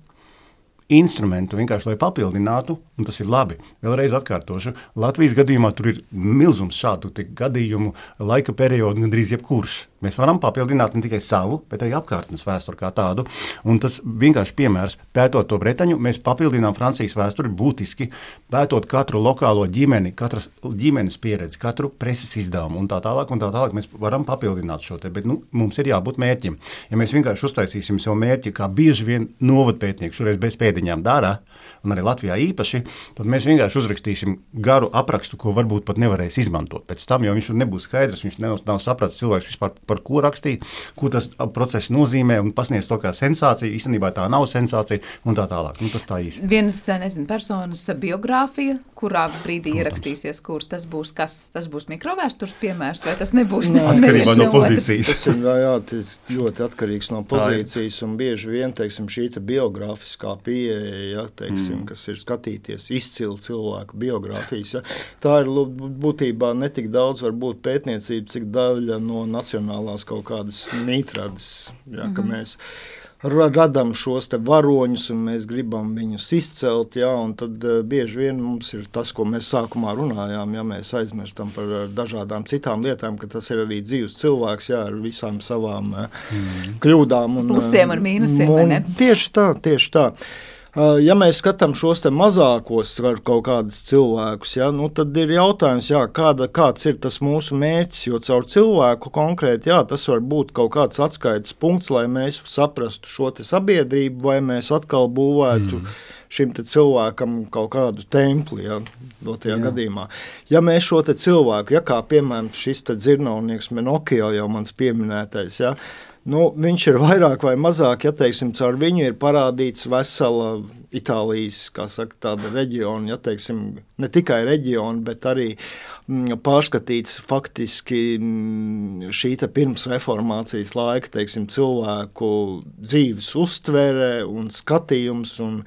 instrumentu vienkārši, lai papildinātu, un tas ir labi. Vēlreiz atkārtošu, Latvijas gadījumā tur ir milzums šādu gadījumu, laika periodu, gandrīz jebkurš. Mēs varam papildināt ne tikai savu, bet arī apkārtnes vēsturi kā tādu, un tas vienkārši piemērs, pētot to Bretaņu, mēs papildinām Francijas vēsturi būtiski, pētot katru lokālo ģimeni, katras ģimenes pieredzi, katru preses izdevumu un tā tālāk, un tā tālāk mēs varam papildināt šo te, bet nu, mums ir jābūt mērķim. Ja mēs vienkārši uztaisīsim savu mērķi, kā bieži vien novadpētnieki šoreiz bez pēdiņām dara, un arī Latvijā īpaši, tad mēs vienkārši uzrakstīsim garu aprakstu, ko varbūt pat nevarēs izmantot. Pēc tam, jo viņš nebūs skaidrs, viņš nav, nav sapratis cilvēks vispār, par ko rakstīt, ko tas process nozīmē un pasniedz to kā sensācija, īstenībā tā nav sensācija un tā tālāk. Nu, tas tā īsti. Vienas, nezinu, personas biogrāfija, kurā brīdī ierakstīsies, kur tas būs kas, tas būs mikrovēstures piemērs, vai tas nebūs? Ne, atkarībā no pozīcijas. Tas ir, jā, tas ļoti atkarīgs no pozīcijas un bieži vien, teiksim, šī te biogrāfiskā pieeja, ja, teiksim, mm. kas ir skatīties izcilu cilvēku biogrāfijas, ja. Tā ir būtībā netik daudz varbūt pētniecība, cik daļa no nacionālās kaut kādas mītrades, ja, mm-hmm. ka mēs radam šos te varoņus un mēs gribam viņus izcelt, jā, un tad uh, bieži vien mums ir tas, ko mēs sākumā runājām, ja mēs aizmirstam par uh, dažādām citām lietām, ka tas ir arī dzīves cilvēks, jā, ar visām savām uh, mm. kļūdām. Un, plusiem un mīnusiem, un, vai ne? Tieši tā, tieši tā. Ja mēs skatām šos te mazākos kaut kādus cilvēkus, ja, nu tad ir jautājums, jā, kāda, kāds ir tas mūsu mērķis, jo caur cilvēku konkrēti, jā, tas var būt kaut kāds atskaites punkts, lai mēs saprastu šo te sabiedrību, vai mēs atkal būvētu mm. šim te cilvēkam kaut kādu templi, ja, dotajā gadījumā. Ja mēs šo te cilvēku, ja kā piemēram šis te dzirnavnieks Menokio jau mans pieminētais, ja, nu, viņš ir vairāk vai mazāk, ja teiksim, caur viņu ir parādīts vesela Itālijas, kā saka, tāda reģiona, ja teiksim, ne tikai reģiona, bet arī m, pārskatīts faktiski m, šī te pirms reformācijas laika, teiksim, cilvēku dzīves uztvere un skatījums un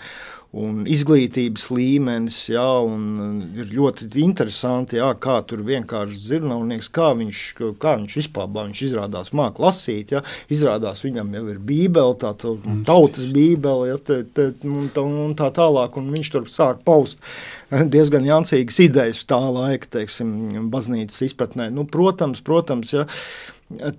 un izglītības līmenis, jā, un ir ļoti interesanti, jā, kā tur vienkārši dzirnavnieks, kā viņš, kā viņš izpābā, viņš izrādās māk lasīt, jā, izrādās viņam jau ir bībele, tā tautas bībele, jā, te, te, un, tā, un tā tālāk, un viņš tur sāk paust diezgan jancīgas idejas tā laika, teiksim, baznīcas izpratnē. Nu, protams, protams, jā,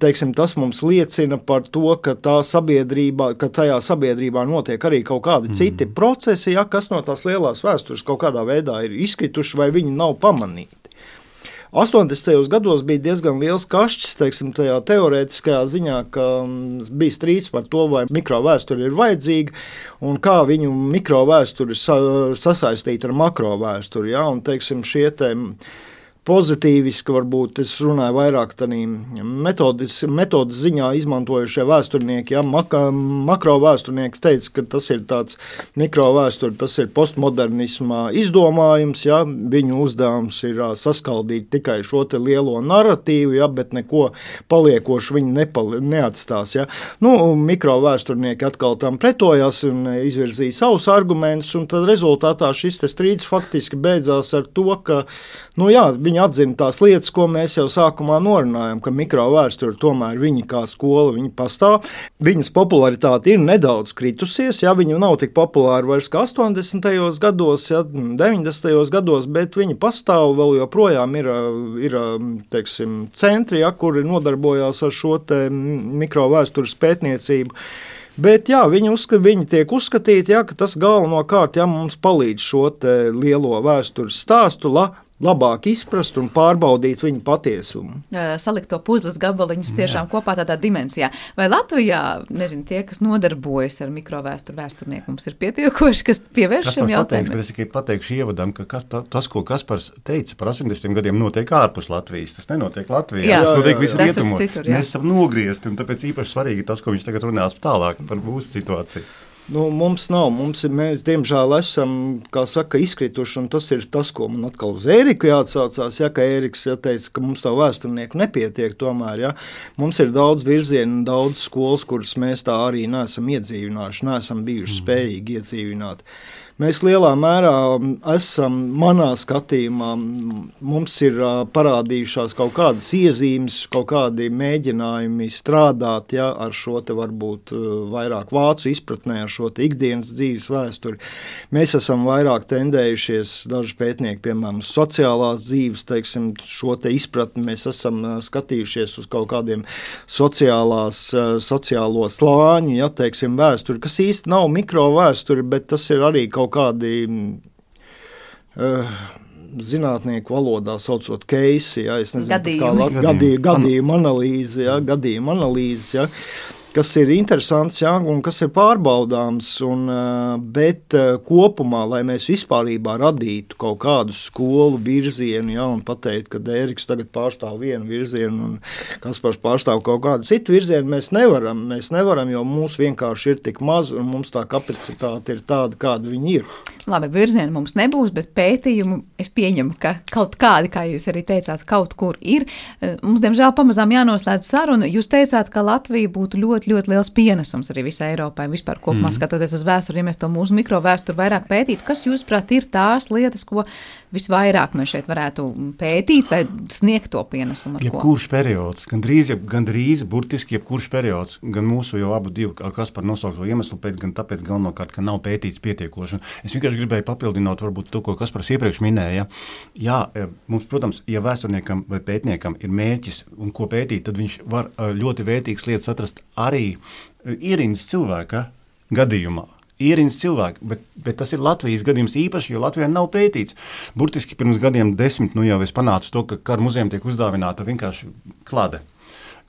teiksim, tas mums liecina par to, ka, tā sabiedrībā, ka tajā sabiedrībā notiek arī kaut kādi mm. citi procesi, ja, kas no tās lielās vēstures kaut kādā veidā ir izkrituši vai viņi nav pamanīti. astoņdesmitajos gados bija diezgan liels kašķis, teiksim, tajā teorētiskajā ziņā, ka bija strīds par to, vai mikrovēsture ir vajadzīga un kā viņu mikrovēsturi sa, sasaistīt ar makrovēsturi, ja, un, teiksim, šie te pozitīviski, varbūt es runāju vairāk tādī metodas, metodas ziņā izmantojušie vēsturnieki, ja, maka, makrovēsturnieki teica, ka tas ir tāds mikrovēsturi, tas ir postmodernismā izdomājums, ja, viņu uzdevums ir saskaldīt tikai šo te lielo narratīvu, ja, bet neko paliekoši viņi nepali, neatstās, ja. Nu, mikrovēsturnieki atkal tam pretojās un izvirzīja savus argumentus, un tad rezultātā šis te strīds faktiski beidzās ar to, ka, nu jā, viņi atzina tās lietas, ko mēs jau sākumā norunājam, ka mikrovēsture tomēr viņi kā skola, viņi pastāv. Viņas popularitāte ir nedaudz kritusies, ja viņi nav tik populāri vairs kā astoņdesmitajos gados, ja, deviņdesmitajos gados, bet viņi pastāv, vēl joprojām ir, ir teiksim, centri, ja, kuri nodarbojās ar šo te mikrovēstures pētniecību. Bet jā, viņi, uzskat, viņi tiek uzskatīti, ja, ka tas galvenokārt ja, mums palīdz šo te lielo vēstures stāstu, la, labāk izprast un pārbaudīt viņu patiesumu. Salikt to puzles gabaliņus tiešām Jā. Kopā tādā dimensijā. Vai Latvijā, nezinu, tie, kas nodarbojas ar mikrovēsturu vēsturnieku, mums ir pietiekoši, kas pievērš šiem jautājumiem? Es tikai pateikšu ievadam, ka kas, tas, ko Kaspars teica par astoņdesmitiem gadiem, notiek ārpus Latvijas. Tas nenotiek Latvijā. Jā, tas notiek visur rietumos. Mēs esam nogriezti, un tāpēc īpaši svarīgi tas, ko viņš tagad runās tālāk par mūsu situāciju. Nu, mums nav, mums ir, mēs diemžēl esam, kā saka, izkrituši, un tas ir tas, ko man atkal uz Ēriku jāatsaucās, ja, ka Ēriks ja, teica, ka mums tā vēsturnieku nepietiek tomēr, ja. Mums ir daudz virzienu, daudz skolas, kuras mēs tā arī neesam iedzīvinājuši, neesam bijuši spējīgi iedzīvināt. Mēs lielā mērā esam, manā skatījumā, mums ir parādījušās kaut kādas iezīmes, kaut kādi mēģinājumi strādāt, ja, ar šo te varbūt vairāk vācu izpratnē, ar šo te ikdienas dzīves vēsturi. Mēs esam vairāk tendējušies, daži pētnieki, piemēram, sociālās dzīves, teiksim, šo te izpratni, mēs esam skatījušies uz kaut kādiem sociālās, sociālo slāņu, ja, teiksim, vēsturi, kas īsti nav mikro vēsturi, bet tas ir arī kaut kādi uh, zinātnieku valodā saucot keisi, ja, es nezinu, gadījumi. kā gadījumu, gadījumu analīzi, ja, gadījumu analīzes, ja, kas ir interesants, ja, un kas ir pārbaudāms, un, bet kopumā, lai mēs vispārībā radītu kaut kādu skolu virzienu, ja, un pateikt, ka Ēriks tagad pārstāv vienu virzienu, un Kaspars pārstāv kaut kādu citu virzienu, mēs nevaram, mēs nevaram, jo mums vienkārši ir tik maz, un mums tā kapacitāte ir tāda, kāda viņi ir. Labi, virzienu mums nebūs, bet pētījumu es pieņemu, ka kaut kādi, kā jūs arī teicāt, kaut kur ir. Mums, diemžēl, pamazām jānoslēdz saruna. Jūs teicāt, ka Latvija būtu ļoti, ļoti liels pienesums arī visai Eiropai, vispār kopumā mm. skatoties uz vēsturi, ja mēs to mūsu mikrovēsturi vairāk pētītu. Kas, jūsuprāt, ir tās lietas, ko visvairāk mēs šeit varētu pētīt vai sniegt to pienesumu? Jebkurš periods, gandrīz, gandrīz burtiski jebkurš periods, gan mūsu jau abu divu, kas par nosaukto iemeslu pēc, gan tāpēc galvenokārt, ka nav pētīts pietiekoši. Es vienkārši gribēju papildināt varbūt to, ko Kaspars iepriekš minēja. Jā, mums, protams, ja vēsturniekam vai pētniekam ir mērķis un ko pētīt, tad viņš var ļoti vērtīgas lietas atrast arī ierindas cilvēka gadījumā. Ierindas cilvēki, bet, bet tas ir Latvijas gadījums īpaši, jo Latvijā nav pētīts. Burtiski pirms gadiem desmit, nu jau es panācu to, ka Kara muzejam tiek uzdāvināta vienkārši klade,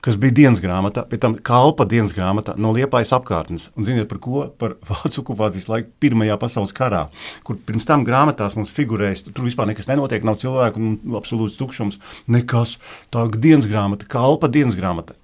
kas bija dienas grāmatā, pēc tam kalpa dienas grāmatā no Liepājas apkārtnes. Un ziniet par ko? Par vācu okupācijas laiku Pirmajā pasaules karā, kur pirms tam grāmatās mums figurēs, tur vispār nekas nenotiek, nav cilvēku un absolūts tukšums, nekas. Tā dienas grāmata, kalpa dienas grāmata.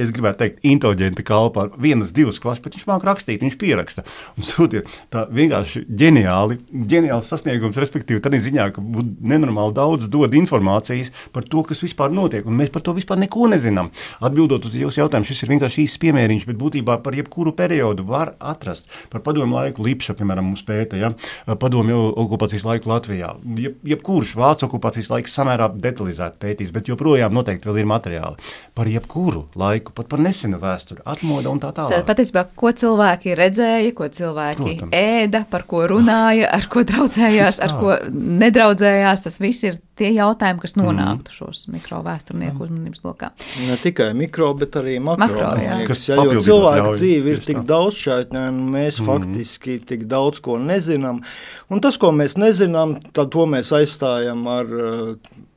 Es gribētu teikt, inteliģenti kalpa ar vienas, divas klases, bet viņš māk rakstīt, viņš pieraksta. Un sūtiet, tā vienkārši ģeniāli, ģeniāls sasniegums, respektīvi, tādā ziņā, ka nenormāli daudz dod informācijas par to, kas vispār notiek, un mēs par to vispār neko nezinām. Atbildot uz jūsu jautājumu, šis ir vienkārši īsts piemēriņš, bet būtībā par jebkuru periodu var atrast. Par padomju laiku Lipša, piemēram, mums pēta, ja? Padomju okupācijas laiku Latvijā. Jeb, jebkurš vācu okupācijas laiks samērā detalizēti pētīs, bet joprojām noteikti vēl ir materiāli. Par jebkuru laiku, pat par nesenu vēsturi, atmoda un tā tālāk. Tad patiesībā, ko cilvēki redzēja, ko cilvēki Protams. ēda, par ko runāja, ar ko draudzējās, ar ko nedraudzējās, tas viss ir tie jautājumi, kas nonāktu šos mikrovēsturnieku uzmanības lokā. Ne tikai mikro, bet arī makro. makro jā. Kas ja, jo cilvēka ļauj, dzīve ir tik daudzšķaitņa, un mēs mm. faktiski tik daudz ko nezinām. Un tas, ko mēs nezinām, tad to mēs aizstājam ar,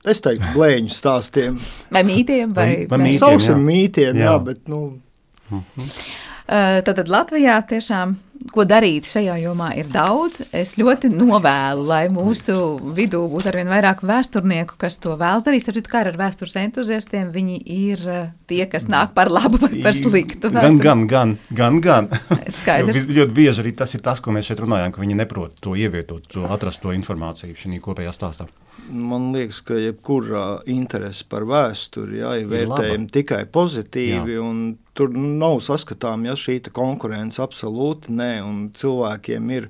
es teiktu, blēņu stāstiem. Vai mītiem, vai... vai, vai mītiem, sauksim jā. mītiem, jā, jā bet, nu... Mm-hmm. Tātad Latvijā tiešām, ko darīt šajā jomā ir daudz. Es ļoti novēlu, lai mūsu vidū būtu arvien vairāk vēsturnieku, kas to vēlas darīt. Starp citu, kā ar vēstures entuziastiem, viņi ir tie, kas nāk par labu vai par sliktu vēsturi. Gan, gan, gan, gan, gan. Skaidrs. Ļoti bieži arī tas ir tas, ko mēs šeit runājam, ka viņi neprot to ievietot, to atrast to informāciju šī kopējā stāstā. Man liekas, ka jebkurā interese par vēsturi, jā, ir vērtējumi tikai pozitīvi, jā. Un tur nav saskatām, ja šī konkurence absolūti nē, un cilvēkiem ir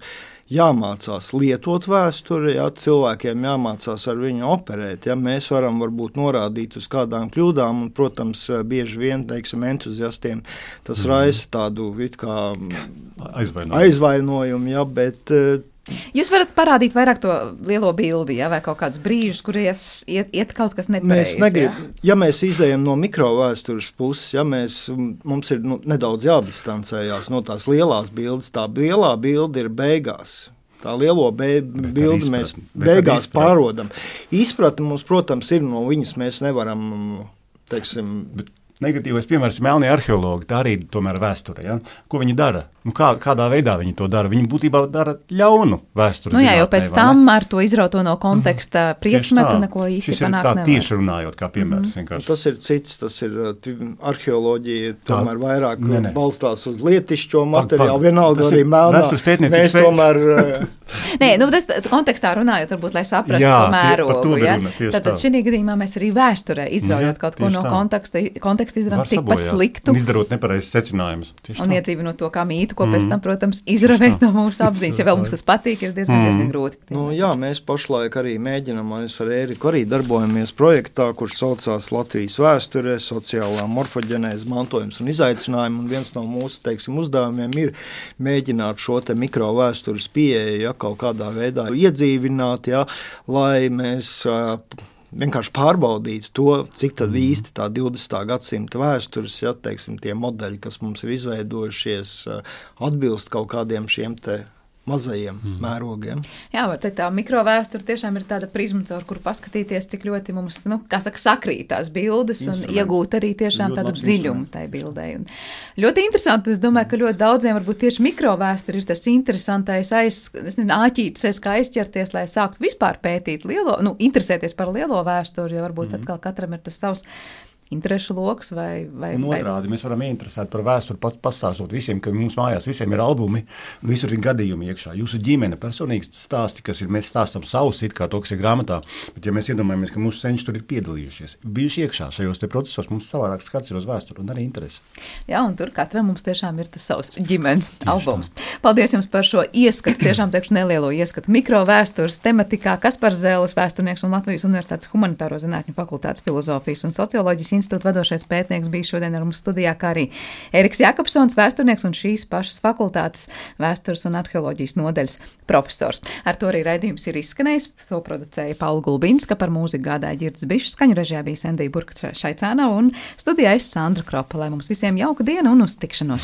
jāmācās lietot vēsturi, ja, cilvēkiem jāmācās ar viņu operēt, ja mēs varam varbūt norādīt uz kādām kļūdām, un, protams, bieži vien, teiksim, entuziastiem tas mm. raisa tādu it kā aizvainojumu, aizvainojumu ja, bet Jūs varat parādīt vairāk to lielo bildi, ja, vai kaut kādus brīžus, kur ies, iet, iet kaut kas nepareizi. Ja? ja mēs izējam no mikrovēstures puses, ja mēs, mums ir nu, nedaudz jādistancējās no tās lielās bildes, tā lielā bilde ir beigās. Tā lielo be, bildi mēs beigās pārodam. Izpratni mums, protams, ir no viņas, mēs nevaram, teiksim... Bet negatīvais piemērs ir melnie arheologi, tā arī tomēr vēsture. Ja? Ko viņi dara? Nu, kā, kādā veidā viņi to dara? Viņi būtībā dara ļaunu vēsturi. Nu jā, jo pēc tam ar to izrauto no konteksta mm-hmm. priekšmetu neko īsti panākt nevar. Šis ir tā tieši runājot, kā piemērs. Mm-hmm. Tas ir cits, tas ir arheoloģija, tomēr tā, vairāk ne, ne. balstās uz lietišķo materiālu, vienalga arī melnā. Mēs tomēr... Nē, nu, tas kontekstā runājot, varbūt, lai saprastu jā, to mērogu. To ja? runa, Tātad šī gadījumā mēs arī vēsturē izraujot jā, kaut ko no tā. konteksta, konteksta izdarām tikpat sliktu. Un izdarot nepareizes secinājumus. Un iedzīvinot to kā mītu fragmentu, ko pēc tam, protams, izravēt no mūsu apziņas. Ja vēl mums tas patīk, ir diezgan, diezgan grūti. Nu, jā, mēs pašlaik arī mēģinām, mēs ar Ēriku arī darbojamies projektā, kurš saucās Latvijas vēsture, sociālā morfoģenēze, mantojums un izaicinājumi, un viens no mūsu, teiksim, uzdevumiem ir mēģināt šo te mikrovēstures pieeju, ja, kaut kādā veidā iedzīvināt, ja, lai mēs uh, vienkārši pārbaudītu to, cik tad īsti tā divdesmitā gadsimta vēstures, ja, teiksim, tie modeļi, kas mums ir izveidojušies, atbilst kaut kādiem šiem te mazajiem mm. mērogiem. Jā, var teikt, tā mikrovēsture tiešām ir tāda prizma, caur kuru paskatīties, cik ļoti mums, nu, kā saka, sakrīt tās bildes un iegūt arī tiešām tādu dziļumu tai bildei. Un ļoti interesanti, es domāju, ka ļoti daudziem varbūt tieši mikrovēsture ir tas interesantais aiz, es nezinu, āķītis, kā aizķerties, lai sāktu vispār pētīt lielo, nu, interesēties par lielo vēsturi, jo varbūt mm. atkal katram ir tas savs interešu loks vai... vai un otrādi, mēs varam ieinteresēt par vēsturi, pat pastāstot visiem, ka mums mājās visiem ir albumi, un visur ir gadījumi iekšā. Jūsu ģimene, personīgi stāsti, kas ir, mēs stāstam savus, it kā to, kas ir grāmatā, bet ja mēs iedomājamies, ka mūsu senči tur ir piedalījušies, bijuši iekšā šajos te procesos, mums savādāk skats ir uz vēsturi un arī interesi. Jā, un tur katram mums tiešām ir tas savs ģimenes albums. Paldies jums par šo ieskatu, tiešām teikšu nelielo ieskatu mikrovēstures tematikā, Kaspars Zēles, vēsturnieks un Latvijas Universitātes humanitāro zinātņu fakultātes filozofijas un socioloģijas institūta vadošais pētnieks bija šodien ar mums studijā, kā arī Eriks Jakobsons, vēsturnieks un šīs pašas fakultātes vēstures un arheoloģijas nodaļas profesors. Ar to arī raidījums ir izskanējis. To producēja Paula Gulbinska, par mūziku gādāja Ģirds Bišs, skaņu režijā bija Sendija Burka Šaicāna un studijā es Sandra Kropa. Lai mums visiem jauka diena un uz tikšanos!